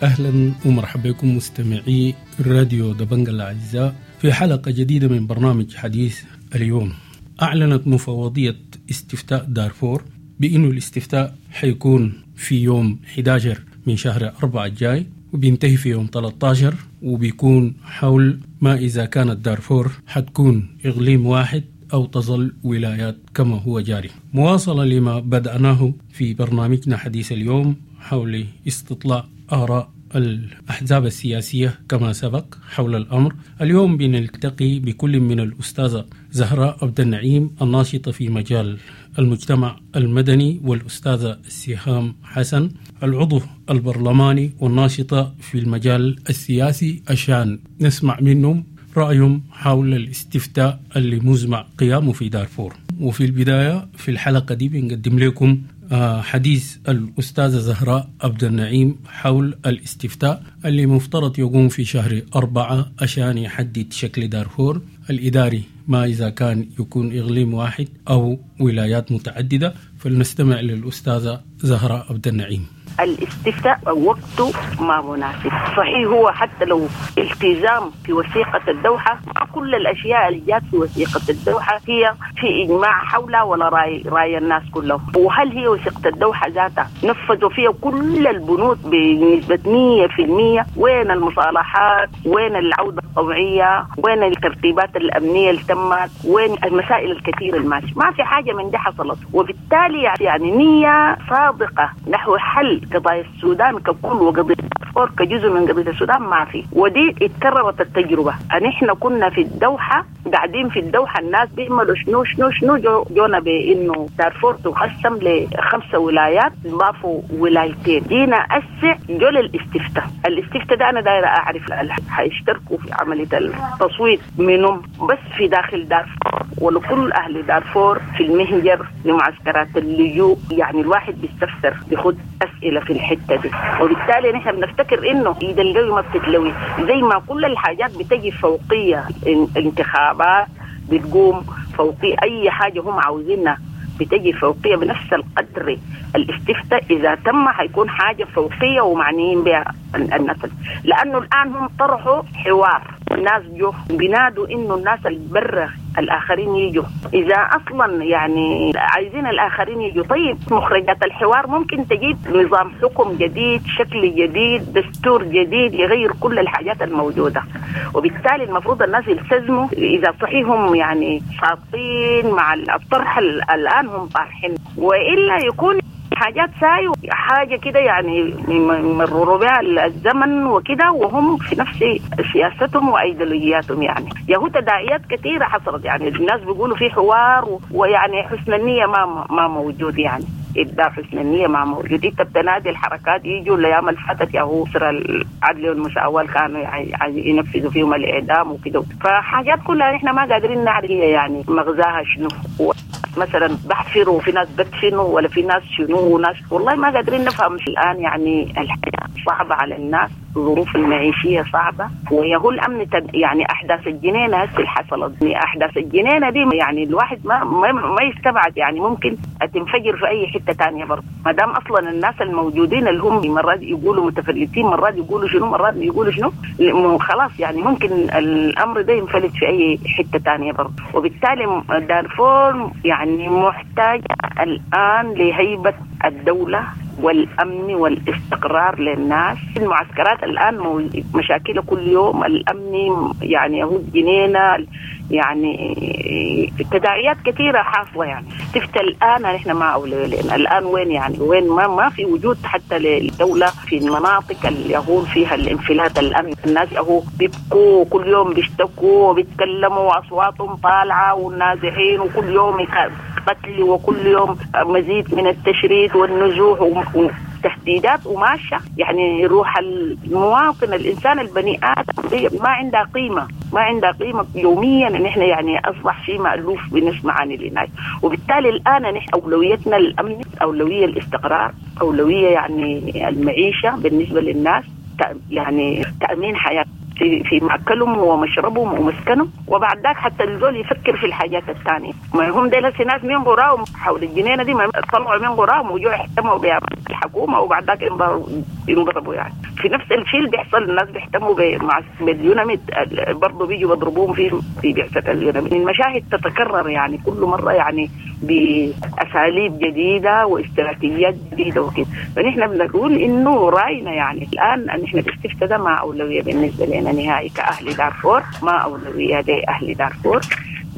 أهلا ومرحبا بكم مستمعي راديو دبنجا الأعزاء في حلقة جديدة من برنامج حديث اليوم. أعلنت مفوضية استفتاء دارفور بأنه الاستفتاء حيكون في يوم أحد عشر من شهر أربعة الجاي، وبينتهي في يوم ثلاثة عشر، وبيكون حول ما إذا كانت دارفور حتكون إقليم واحد أو تظل ولايات كما هو جاري. مواصلة لما بدأناه في برنامجنا حديث اليوم حول استطلاع آراء الأحزاب السياسية كما سبق حول الأمر. اليوم بنلتقي بكل من الأستاذة زهراء عبد النعيم الناشطة في مجال المجتمع المدني، والأستاذة سهام حسن العضو البرلماني والناشطة في المجال السياسي، عشان نسمع منهم رأيهم حول الاستفتاء اللي مزمع قيامه في دارفور. وفي البداية في الحلقة دي بنقدم لكم حديث الأستاذة زهراء عبد النعيم حول الاستفتاء اللي مفترض يقوم في شهر أربعة عشان يحدد شكل دارفور الإداري، ما إذا كان يكون إقليم واحد أو ولايات متعددة. فلنستمع للأستاذة زهراء عبد النعيم. الاستفتاء وقته ما مناسب، صحيح هو حتى لو التزام في وثيقة الدوحة، مع كل الأشياء اللي جات في وثيقة الدوحة هي في إجماع حولها ولا رأي, رأي الناس كلهم. وهل هي وثيقة الدوحة ذاتها نفذوا فيها كل البنود بنسبة مية في المية؟ وين المصالحات؟ وين العودة الطوعية؟ وين الترتيبات الأمنية اللي تمت؟ وين المسائل الكثيرة الماشية؟ ما في حاجة من دي حصلت. وبالتالي يعني نية صادقة نحو حل قضايا السودان ككل وقضية دارفور كجزء من قضية السودان ما في. ودي اتكررت التجربة. ان احنا كنا في الدوحة قاعدين في الدوحة الناس بيعملوا شنو شنو شنو، جو جونا بانه دارفور تقسم لخمسة ولايات، ضافوا ولايتين. جينا أسع جو للاستفتاء. الاستفتاء ده انا دايرة اعرف حيشتركوا في عملية التصويت منهم بس في داخل دارفور ولكل اهل دارفور في المهجر لمعسكرات اللجوء. يعني الواحد بيستفسر بيخد اسئلة في الحتة دي، وبالتالي نحن بنفتكر انه ايد القوي ما بتتلوي، زي ما كل الحاجات بتجي فوقيه، الانتخابات بتقوم فوقيه، اي حاجة هم عاوزينها بتجي فوقيه بنفس القدر. الاستفتاء اذا تم حيكون حاجة فوقيه ومعنيين بها الناس، لانه الان هم طرحوا حوار والناس جو بينادوا انه الناس البرة الاخرين يجوا، اذا اصلا يعني عايزين الاخرين يجوا. طيب مخرجات الحوار ممكن تجيب نظام حكم جديد، شكل جديد، دستور جديد يغير كل الحاجات الموجودة، وبالتالي المفروض الناس يلتزموا اذا صحيهم يعني صادقين مع الطرح الان هم طارحين، والا يكون حاجات ساي حاجة كده يعني يمرروا بها الزمن وكده، وهم في نفس سياستهم وأيديولوجياتهم. يعني يهو تداعيات كثيرة حصلت، يعني الناس بيقولوا في حوار ويعني حسن النية ما ما موجود، يعني إبداع حسن النية ما موجود. انت بتنادي الحركات يجوا الأيام اللي فاتت ياهو سر العدل والمساواة كانوا يعني ينفذوا فيهم الإعدام وكده، فحاجات كلها نحن ما قادرين نعرف هي يعني مغزاها شنو. مثلا بحفروا في ناس بدفنوا ولا في ناس شنو وناس والله ما قادرين نفهم الآن يعني الحياة. صعبة على الناس، الظروف المعيشية صعبة، ويهو الأمن يعني أحداث الجنينة هسه اللي حصلت، أحداث الجنينة دي يعني الواحد ما ما, ما يستبعد يعني ممكن تنفجر في أي حتة تانية برضه، ما دام أصلا الناس الموجودين اللي هم مرات يقولوا متفلتين، مرات يقولوا شنو، مرات يقولوا شنو، خلاص يعني ممكن الأمر ده ينفلت في أي حتة تانية برضه. وبالتالي دارفور يعني محتاجة الآن لهيبة الدولة والأمن والاستقرار للناس. المعسكرات الآن مشاكل كل يوم، الأمن يعني هو جنينة، يعني تداعيات كثيرة حاصلة. يعني تفت الآن نحن ما أولوية الآن وين يعني وين ما ما في وجود حتى للدولة في المناطق اللي يهون فيها الانفلات الأمن. الناس أهو بيبكوا كل يوم، بيشتكوا وبيتكلموا وأصواتهم طالعة والنازحين، وكل يوم قتل وكل يوم مزيد من التشريد والنزوح وتهديدات وماشية. يعني روح المواطن الإنسان البني آدم ما عندها قيمة، ما عندها قيمة يوميا. نحن يعني أصبح شيء مألوف بنسمع عن الناس. وبالتالي الآن نحن أولويتنا الأمن، أولوية الاستقرار، أولوية يعني المعيشة بالنسبة للناس، يعني تأمين حياة في في مأكلهم ومشربهم ومسكنهم، وبعد ذاك حتى الزول يفكر في الحاجات الثانية. ما هم ديل ناس من قراهم حول الجنينة دي ما طلعوا من قراهم وجوا يهتموا بها الحكومة، وبعد ذاك ينضربوا. يعني في نفس الشيء اللي بيحصل الناس بيهتموا مع باليوناميد برضه، بيجوا بيضربوهم في في بعثة اليوناميد. المشاهد تتكرر يعني كل مرة يعني بأساليب جديدة واستراتيجيات جديدة وكده. فنحن بنقول إنه رأينا يعني الآن نحن الاستفتاء ده ما أولوية بالنسبة لنا نهائي كأهل دارفور، ما أولوية لأهل دارفور.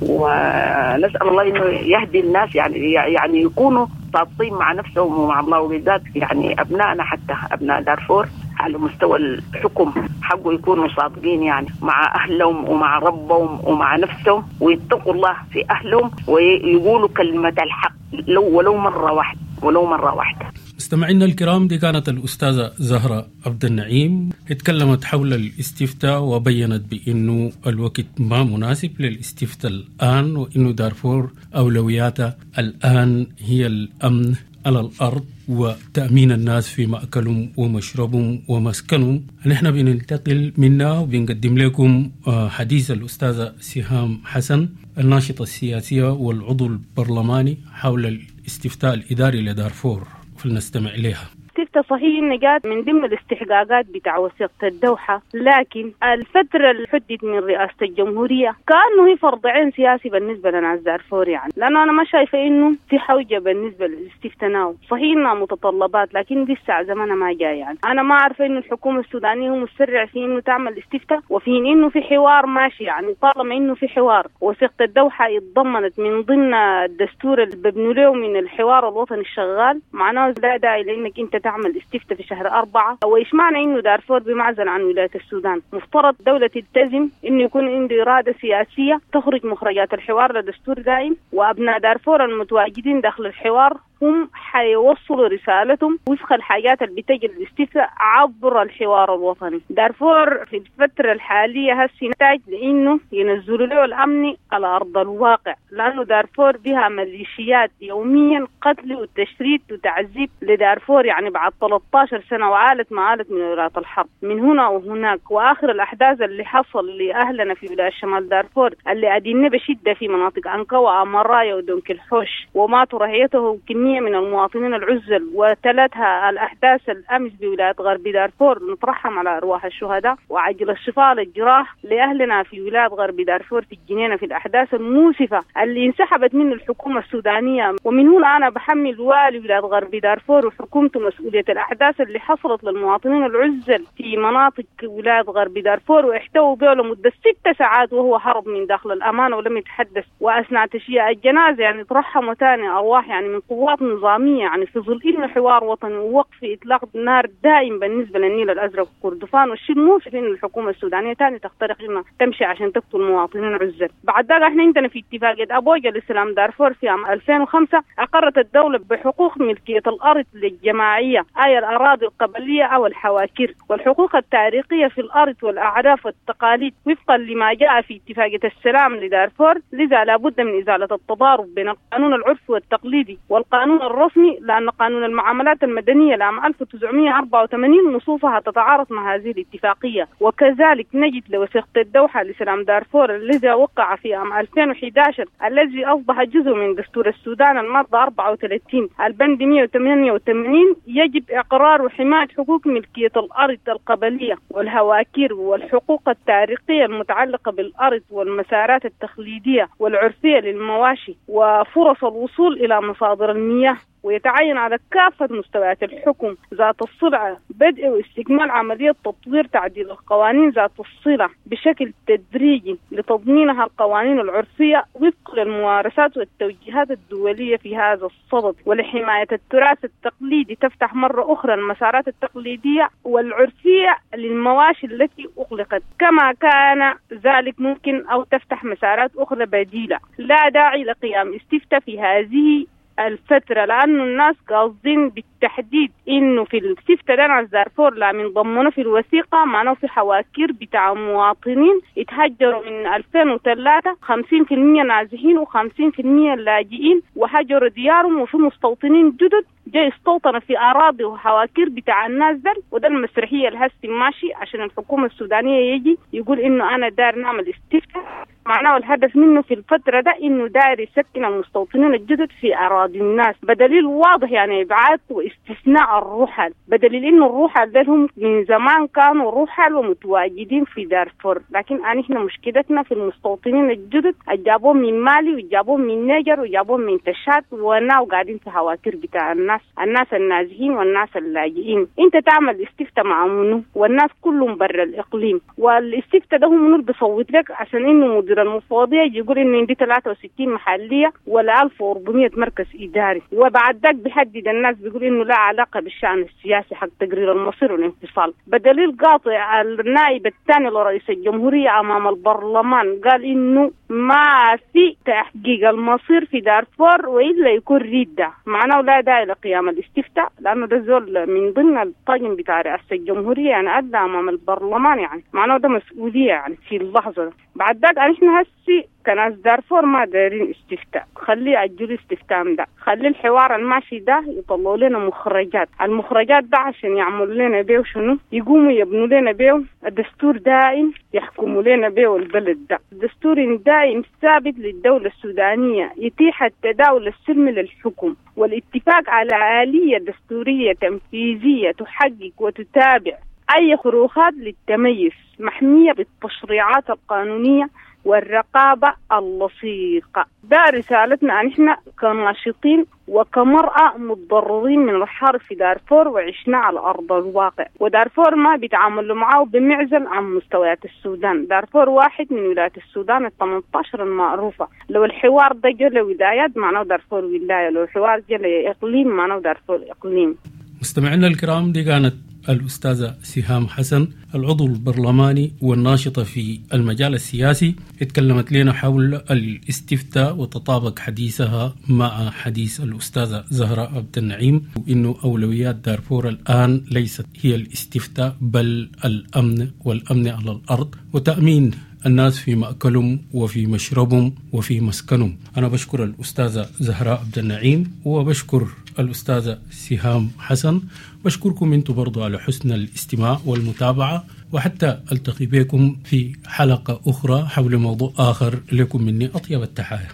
ونسأل الله إنه يهدي الناس يعني يعني يكونوا صادقين مع نفسهم ومع الله، وبالذات يعني أبنائنا حتى أبناء دارفور على مستوى الحكم حقه يكونوا صادقين يعني مع أهلهم ومع ربهم ومع نفسهم، ويتقوا الله في أهلهم ويقولوا كلمة الحق لو ولو مرة واحدة، ولو مرة واحدة. مستمعينا الكرام، دي كانت الأستاذة زهرة عبد النعيم، اتكلمت حول الاستفتاء وبينت بأنه الوقت ما مناسب للاستفتاء الآن، وأنه دارفور أولوياتها الآن هي الأمن على الأرض وتأمين الناس في مأكلهم ومشربهم ومسكنهم. نحن بننتقل منا وبنقدم لكم حديث الأستاذة سهام حسن الناشطة السياسية والعضو البرلماني حول الاستفتاء الإداري لدارفور، فلنستمع إليها. الاستفتاء صحيح إن جات من ضمن الاستحقاقات بتاع وثيقة الدوحة، لكن الفترة اللي حددت من رئاسة الجمهورية كأنه هي فرض عين سياسي بالنسبة لناس دارفور، يعني لأنه أنا ما شايفة إنه في حوجة بالنسبة للاستفتاء now. صحيح إنها متطلبات لكن لسه زمانها ما جاي. يعني أنا ما عارفة إنه الحكومة السودانية هو مسرع في إنه تعمل استفتاء، وفي إنه في حوار ماشي. يعني طالما إنه في حوار وثيقة الدوحة اتضمنت من ضمن الدستور اللي ببنوا له من الحوار الوطني الشغال، معناه لا داعي لإنك أنت تعمل استفتاء في شهر أربعة. وإيش معنى إنه دارفور بمعزل عن ولاية السودان؟ مفترض دولة تلتزم إنه يكون عنده إرادة سياسية تخرج مخرجات الحوار لدستور دائم، وأبناء دارفور المتواجدين داخل الحوار هم حيوصلوا رسالتهم وفق الحاجات اللي بتجي الاستفتاء عبر الحوار الوطني. دارفور في الفترة الحالية هسي نحتاج لإنه ينزلوا له الأمن على أرض الواقع، لأنه دارفور بها ميليشيات يوميا قتل وتشريد وتعذيب لدارفور يعني بعد ثلاثة عشر سنة وعالت ما عالت من ولايات الحرب من هنا وهناك. وآخر الأحداث اللي حصل لأهلنا في ولاية شمال دارفور اللي أدينا بشدة في مناطق أنكا وأمرايا ودونك الحوش وماتوا رعيته كمية من المواطنين العزل، وتلتها الأحداث الأمس بولاية غرب دارفور. نترحم على أرواح الشهداء وعجل الشفاء للجراح لأهلنا في ولاية غرب دارفور في الجنينة في الأحداث الموسفة اللي انسحبت منه الحكومة السودانية. ومن هنا أنا بحمل والي ولاية غرب دارفور وحكومته مسؤولية الأحداث اللي حصلت للمواطنين العزل في مناطق ولاية غرب دارفور، واحتووا به لمدة ست ساعات وهو هرب من داخل الأمانة ولم يتحدث. وأثناء تشييع الجنازة يعني ترحموا ثاني أرواح يعني من قوات نظامية، يعني في ظل إنه حوار وطني ووقف إطلاق النار دائم بالنسبة للنيل الأزرق وكردفان. والشيء المؤسف إنه الحكومة السودانية تاني تخترق إنها تمشي عشان تقتل مواطنين عزل. بعد ذلك إحنا عندنا في اتفاقية أبوجا لسلام دارفور في عام ألفين وخمسة أقرت الدولة بحقوق ملكية الأرض للجماعية، أي الأراضي القبلية أو الحواكير، والحقوق التاريخية في الأرض والأعراف والتقاليد وفقا لما جاء في اتفاقية السلام لدارفور. لذا لابد من إزالة التضارب بين القانون العرفي والتقليدي والقانون القانون الرسمي، لأن قانون المعاملات المدنية لعام ألف وتسعمية وأربعة وثمانين نصوصها تتعارض مع هذه الاتفاقية. وكذلك نجد لوثيقة الدوحة لسلام دارفور الذي وقع في عام ألفين وأحد عشر الذي أصبح جزء من دستور السودان المادة أربعة وثلاثين البند مئة وثمانية وثمانين يجب إقرار وحماية حقوق ملكية الأرض القبلية والهواكير والحقوق التاريخية المتعلقة بالأرض والمسارات التقليدية والعرفية للمواشي وفرص الوصول إلى مصادر المياه. ويتعين على كافة مستويات الحكم ذات الصلة بدء واستكمال عملية تطوير تعديل القوانين ذات الصلة بشكل تدريجي لتضمينها القوانين العرفية وفق للممارسات والتوجيهات الدولية في هذا الصدد، ولحماية التراث التقليدي تفتح مرة أخرى المسارات التقليدية والعرفية للمواشي التي أغلقت كما كان ذلك ممكن، أو تفتح مسارات أخرى بديلة. لا داعي لقيام استفتاء في هذه الفترة، لأنه الناس قاصدين بالتحديد إنه في الاستفتاء ده ناس دارفور لا من ضمنوا في الوثيقة، معناه في حواكير بتاع مواطنين اتهجروا من ألفين وثلاثة خمسين في المية نازحين وخمسين في المية لاجئين وهجروا ديارهم، وفي مستوطنين جدد جاي استوطن في أراضي وحواكير بتاع الناس ده. وده المسرحية الهسي ماشي عشان الحكومة السودانية يجي يقول إنه أنا دار نعمل استفتاء، معناه الهدف منه في الفترة ده إنه داير يسكن المستوطنين الجدد في أراضي الناس، بدليل واضح يعني إبعاد واستثناء الرحل، بدليل إنه الرحل ده هم من زمان كانوا رحل ومتواجدين في دارفور، لكن إحنا مشكلتنا في المستوطنين الجدد جابوهم من مالي وجابوهم من نيجر وجابوهم من تشاد وناو قاعدين في هواكير بتاع الناس، الناس النازحين والناس اللاجئين. أنت تعمل استفتاء مع منو والناس كلهم برا الإقليم، والاستفتاء ده هم منو بيصوت لك عشان إنه مدير المفوضية يقول إنه عندي ثلاثة وستين محلية ولا ألف وأربعمية مركز إداري، وبعد ذاك بيحدد الناس بيقول إنه لا علاقة بالشأن السياسي حق تقرير المصير والانفصال. بدليل قاطع النائب الثاني لرئيس الجمهورية أمام البرلمان قال إنه ما في تحقيق المصير في دارفور وإلا يكون ردة، معناه لا داعي لقيام الاستفتاء لأنه ده زول من ضمن الطاقم بتاع رئاسة الجمهورية يعني أدى أمام البرلمان، يعني معناه ده مسؤولية يعني في اللحظة ده. بعد ذاك احنا هسي كناس دارفور ما دايرين استفتاء، خليه أجلوا استفتاء ده، خلي الحوار الماشي ده يطلعوا لنا مخرجات، المخرجات ده عشان يعملوا لنا بيه شنو؟ يقوموا يبنوا لنا بيه الدستور دائم يحكموا لنا بيه البلد ده، الدستور دائم ثابت للدولة السودانية يتيح التداول السلمي للحكم والاتفاق على آلية دستورية تنفيذية تحقق وتتابع أي خروقات للتميز محمية بالتشريعات القانونية والرقابة اللصيقة. ده رسالتنا نحن كناشطين وكمرأة متضررين من الحرب في دارفور وعشنا على أرض الواقع، ودارفور ما بيتعاملوا معه بمعزل عن مستويات السودان، دارفور واحد من ولايات السودان الثمانية عشر المعروفة. لو الحوار ده جل ولايات معناه دارفور ولاية، لو الحوار جل إقليم معناه دارفور إقليم. مستمعينا الكرام، دي كانت الأستاذة سهام حسن العضو البرلماني والناشطة في المجال السياسي، اتكلمت لنا حول الاستفتاء وتطابق حديثها مع حديث الأستاذة زهراء عبد النعيم، وإنه أولويات دارفور الآن ليست هي الاستفتاء بل الأمن والأمن على الأرض وتأمين الناس في مأكلهم وفي مشربهم وفي مسكنهم. أنا بشكر الأستاذة زهراء عبد النعيم وبشكر الأستاذة سهام حسن، بشكركم أنتم برضو على حسن الاستماع والمتابعة، وحتى ألتقي بكم في حلقة أخرى حول موضوع آخر. لكم مني أطيب التحايا.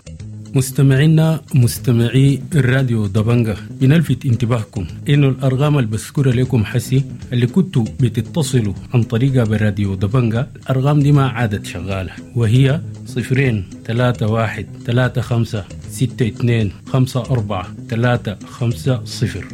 مستمعينا مستمعي الراديو دبنجة، بنلفت انتباهكم إنه الأرقام اللي بذكرها لكم حسي اللي كنتوا بتتصلوا عن طريقها بالراديو دبنجة، الأرقام دي ما عادت شغالة، وهي صفرين ثلاثة واحد ثلاثة خمسة ستة اثنين خمسة أربعة ثلاثة خمسة صفر،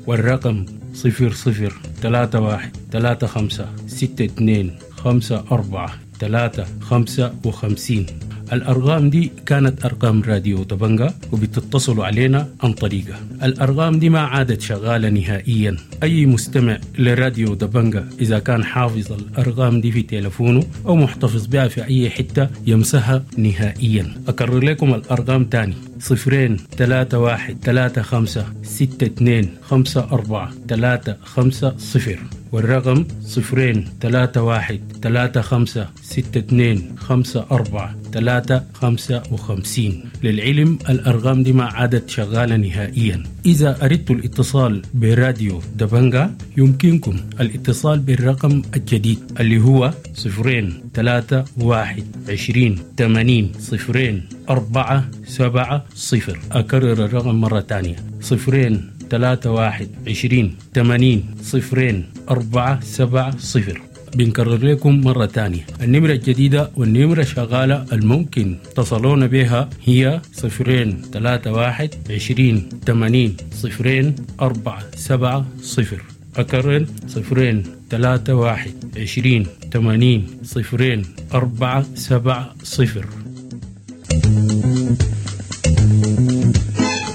والرقم صفر صفر ثلاثة واحد ثلاثة خمسة ستة اثنين خمسة أربعة ثلاثة خمسة وخمسين. الأرقام دي كانت أرقام راديو دبنجة وبتتصلوا علينا عن طريقة. الأرقام دي ما عادت شغالة نهائيا. أي مستمع لراديو دبنجة إذا كان حافظ الأرقام دي في تلفونه أو محتفظ بها في أي حتة يمسها نهائيا. أكرر لكم الأرقام تاني: صفرين ثلاثة واحد ثلاثة خمسة ستة اثنين خمسة أربعة ثلاثة خمسة صفر، والرقم صفرين ثلاثة واحد ثلاثة خمسة ستة اثنين خمسة أربعة ثلاثة خمسة وخمسين. للعلم الأرقام دي ما عادت شغالة نهائيا. إذا أردت الاتصال براديو دبنجا يمكنكم الاتصال بالرقم الجديد اللي هو صفرين ثلاثة واحد عشرين ثمانين صفرين أربعة سبعة صفر. أكرر الرقم مرة تانية، صفرين ثلاثة واحد عشرين ثمانين صفرين أربعة سبعة صفر. بنكرر لكم مرة تانية النمرة الجديدة والنمرة شغالة الممكن تصلون بها هي صفرين ثلاثة واحد عشرين ثمانين صفرين أربعة سبعة صفر. أكرر صفرين ثلاثة واحد عشرين ثمانين صفرين أربعة سبعة صفر.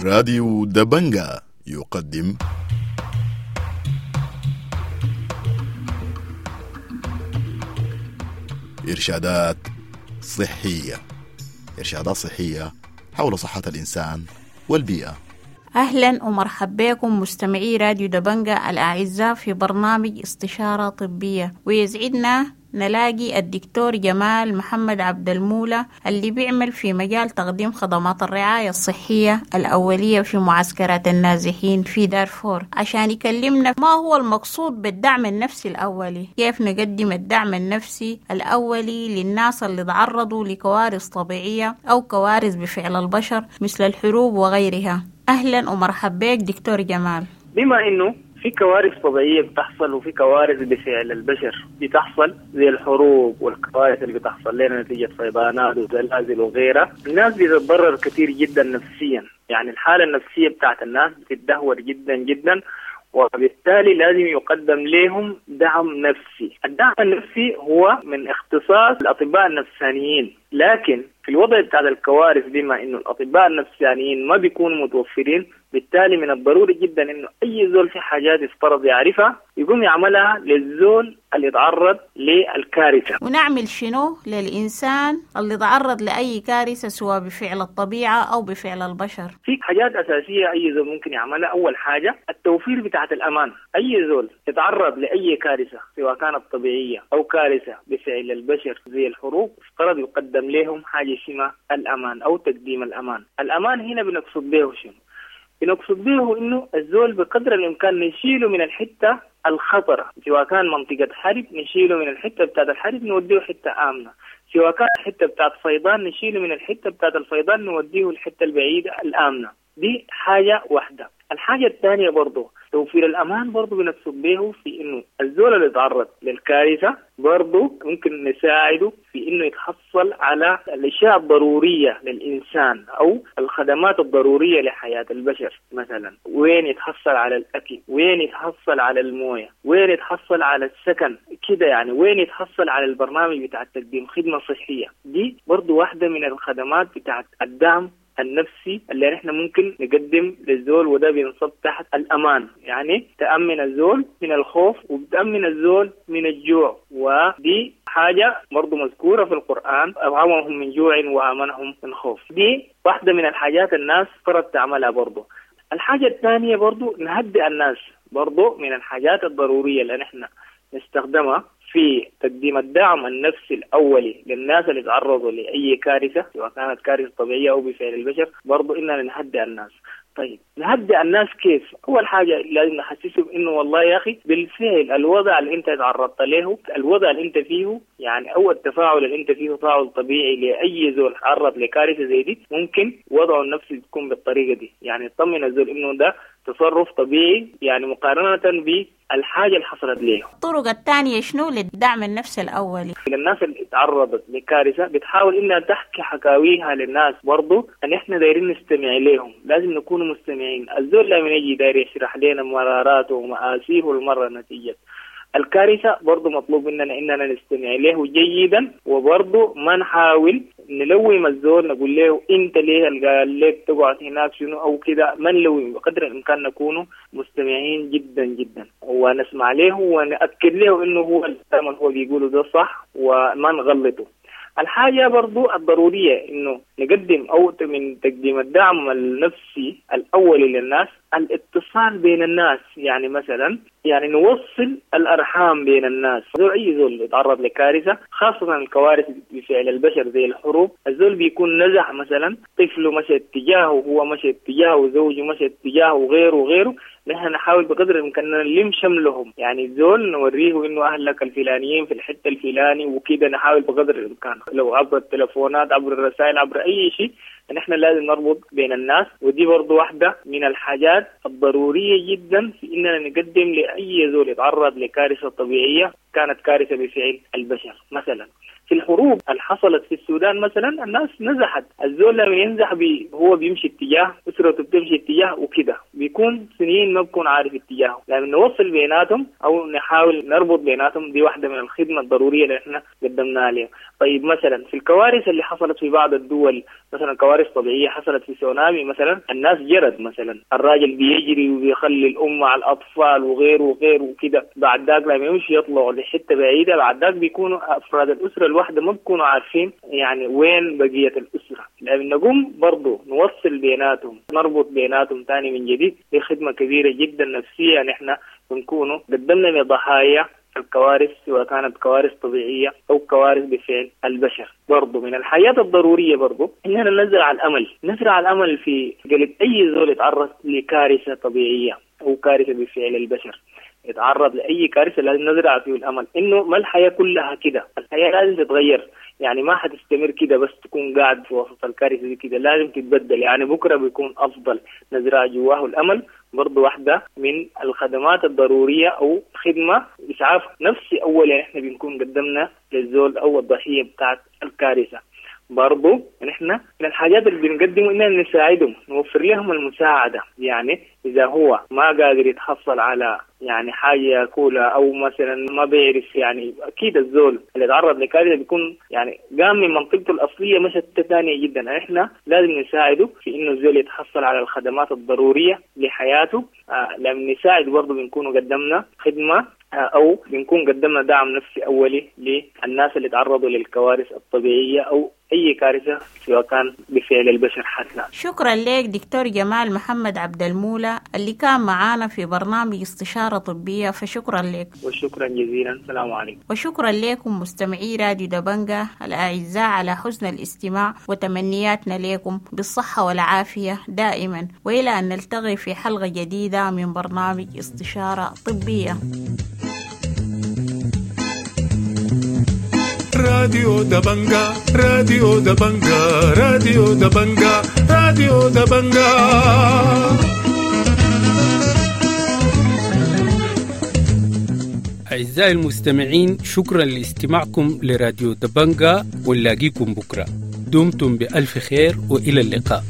راديو دبنجا يقدم إرشادات صحية، إرشادات صحية حول صحة الإنسان والبيئة. أهلا ومرحبا بكم مستمعي راديو دبنجا الأعزاء في برنامج استشارة طبية، ويسعدنا نلاقي الدكتور جمال محمد عبد المولى اللي بيعمل في مجال تقديم خدمات الرعاية الصحية الأولية في معسكرات النازحين في دارفور، عشان يكلمنا ما هو المقصود بالدعم النفسي الأولي، كيف نقدم الدعم النفسي الأولي للناس اللي تعرضوا لكوارث طبيعية أو كوارث بفعل البشر مثل الحروب وغيرها. أهلا ومرحبا بك دكتور جمال. بما إنه في كوارث طبيعية بتحصل وفي كوارث بفعل البشر بتحصل زي الحروب والكوارث اللي بتحصل لنا نتيجة فيضانات وزلازل وغيرها، الناس بتتضرر كثير جدا نفسيا، يعني الحالة النفسية بتاعت الناس بتتدهور جدا جدا، وبالتالي لازم يقدم لهم دعم نفسي. الدعم النفسي هو من اختصاص الأطباء النفسانيين، لكن في الوضع بتاع الكوارث بما إنه الأطباء النفسانيين ما بيكونوا متوفرين، بالتالي من الضروري جدا إنه أي زول في حاجات يفترض يعرفها يقوم يعملها للزول اللي يتعرض للكارثة. ونعمل شنو للإنسان اللي تعرض لأي كارثة سواء بفعل الطبيعة أو بفعل البشر؟ في حاجات أساسية أي زول ممكن يعملها. أول حاجة التوفير بتاعت الأمان. أي زول يتعرض لأي كارثة سواء كانت طبيعية أو كارثة بفعل البشر زي الحروب، افترض يقدم لهم حاجة اسمها الأمان أو تقديم الأمان. الأمان هنا بنقصد به شنو؟ بنقصد به إنه الزول بقدر الإمكان نشيله من الحتة الخطرة، سواء كان منطقة حرب نشيله من الحتة بتاعت الحرب نوديه حتة آمنة، سواء كان حتة بتاعت فيضان نشيله من الحتة بتاعت الفيضان نوديه الحتة البعيدة الآمنة. دي حاجة واحدة. الحاجة الثانية برضو توفير الأمان برضو بنقصد به في إنه الزول اللي تعرض للكارثة برضو ممكن نساعده في إنه يتحصل على الأشياء الضرورية للإنسان أو الخدمات الضرورية لحياة البشر. مثلا وين يتحصل على الأكل، وين يتحصل على الموية، وين يتحصل على السكن كده، يعني وين يتحصل على البرنامج بتاع تقديم خدمة صحية. دي برضو واحدة من الخدمات بتاعت الدعم النفسي اللي نحن ممكن نقدم للزول، وده بينصب تحت الأمان، يعني تأمن الزول من الخوف وبتأمن الزول من الجوع، ودي حاجة برضو مذكورة في القرآن، أطعمهم من جوع وآمنهم من خوف. دي واحدة من الحاجات الناس فرض تعملها برضو. الحاجة الثانية برضو نهدئ الناس، برضو من الحاجات الضرورية اللي نحن نستخدمها في تقديم الدعم النفسي الأولي للناس اللي تعرضوا لأي كارثة سواء كانت كارثة طبيعية أو بفعل البشر، برضو إننا نهدئ الناس. طيب نهدئ الناس كيف؟ أول حاجة لازم نحسسهم إنه والله يا أخي بالفعل الوضع اللي أنت تعرضت له، الوضع اللي أنت فيه، يعني أو التفاعل اللي أنت فيه تفاعل طبيعي لأي زول تعرض لكارثة زي دي، ممكن وضعه النفسي تكون بالطريقة دي، يعني يطمن الزول إنه ده تصرف طبيعي، يعني مقارنة بالحاجة اللي حصلت له. الطرق الثانية شنو للدعم النفسي الأولي؟ الناس اللي تعرضت لكارثة بتحاول إنها تحكي حكاويها للناس، برضو أن إحنا دايرين نستمع لهم، لازم نكون مستمعين. الزول لما يجي داير يشرح لنا مراراته ومآسيه المرة نتيجة الكارثة، برضو مطلوب مننا إننا نستمع له جيدا، وبرضو ما نحاول نلوم الزول نقول له أنت ليه قال لك تقعد هناك شنو أو كده، ما نلوم، بقدر الإمكان نكون مستمعين جدا جدا ونسمع له ونأكد له إنه هو الكلام اللي هو بيقوله ده صح وما نغلطه. الحاجة برضو الضرورية إنه نقدم أو من تقديم الدعم النفسي الأولي للناس الاتصال بين الناس، يعني مثلا يعني نوصل الأرحام بين الناس. زول أي زول يتعرض لكارثة، خاصة الكوارث بفعل البشر زي الحروب، الزول بيكون نزح مثلا، طفله مشى اتجاهه، وهو مشى اتجاهه، وزوجه مشى اتجاهه، وغيره وغيره. نحن نحاول بقدر الإمكان نلم شملهم، يعني الزول نوريه إنه أهلك الفلانيين في الحتة الفلاني وكده، نحاول بقدر الإمكان لو عبر التلفونات، عبر الرسائل، عبر أي شيء، نحن لازم نربط بين الناس. ودي برضو واحدة من الحاجات الضرورية جدا في إننا نقدم لأي زول يتعرض لكارثة طبيعية كانت كارثة بفعل البشر. مثلا في الحروب اللي حصلت في السودان مثلا الناس نزحت، الزول لما ينزح بي هو بيمشي اتجاه، أسرته بتمشي اتجاه وكده، بيكون سنين ما بيكون عارف اتجاهه. لما نوصل بيناتهم أو نحاول نربط بيناتهم، دي واحدة من الخدمة الضرورية اللي احنا قدمناها لهم. طيب مثلا في الكوارث اللي حصلت في بعض الدول، مثلا كوارث طبيعية حصلت في سونامي مثلا، الناس جرت مثلا، الراجل بيجري وبيخلي الأم مع الأطفال وغيره وغيره وكده، بعد ذاك لما يمشي يطلعوا لحتة بعيدة، بعد ذاك بيكونوا أفراد الأسرة الواحدة ما بيكونوا عارفين يعني وين بقية الأسرة. لما نقوم برضو نوصل بيناتهم، نربط بيناتهم تاني من جديد، دي خدمة كبيرة جدا نفسية نحن بنكونوا قدمنا لضحايا الكوارث، سواء كانت كوارث طبيعية أو كوارث بفعل البشر. برضو من الحياة الضرورية برضو إننا نزرع الأمل، نزرع الأمل في قلب أي زول يتعرض لكارثة طبيعية أو كارثة بفعل البشر، يتعرض لأي كارثة لازم نزرع فيه الأمل إنه ما الحياة كلها كده، الحياة لازم تتغير، يعني ما حتستمر كده بس تكون قاعد في وسط الكارثة دي كده، لازم تتبدل، يعني بكرة بيكون أفضل. نزرع جواه الأمل برضو واحدة من الخدمات الضرورية أو خدمة إسعاف نفسي أولا إحنا بنكون قدمنا للزول أو الضحية بتاعت الكارثة. برضو نحن من الحاجات اللي بنقدمه إننا نساعدهم، نوفر لهم المساعدة، يعني إذا هو ما قادر يتحصل على يعني حاجة ياكلها أو مثلا ما بيعرف، يعني أكيد الزول اللي يتعرض لكارثة بيكون يعني قام من منطقته الأصلية مشت ثانية جدا، إحنا لازم نساعده في إنه الزول يتحصل على الخدمات الضرورية لحياته. آه لما نساعد برضو بنكون قدمنا خدمة أو بنكون قدمنا دعم نفسي أولي للناس اللي تعرضوا للكوارث الطبيعية أو أي كارثة سواء كان بفعل البشر حتى. شكرا لك دكتور جمال محمد عبد المولى اللي كان معانا في برنامج استشارة طبية، فشكرا لك. وشكرا جزيلا، السلام عليكم. وشكرا لكم مستمعي راديو دبنجة الأعزاء على حسن الاستماع، وتمنياتنا لكم بالصحة والعافية دائما، وإلى أن نلتقي في حلقة جديدة من برنامج استشارة طبية. راديو دبنجة، راديو دبنجة، راديو دبنجة، راديو دبنجة. أعزائي المستمعين، شكرا لاستماعكم لراديو دبنجة، ونلاقيكم بكرة. دمتم بألف خير وإلى اللقاء.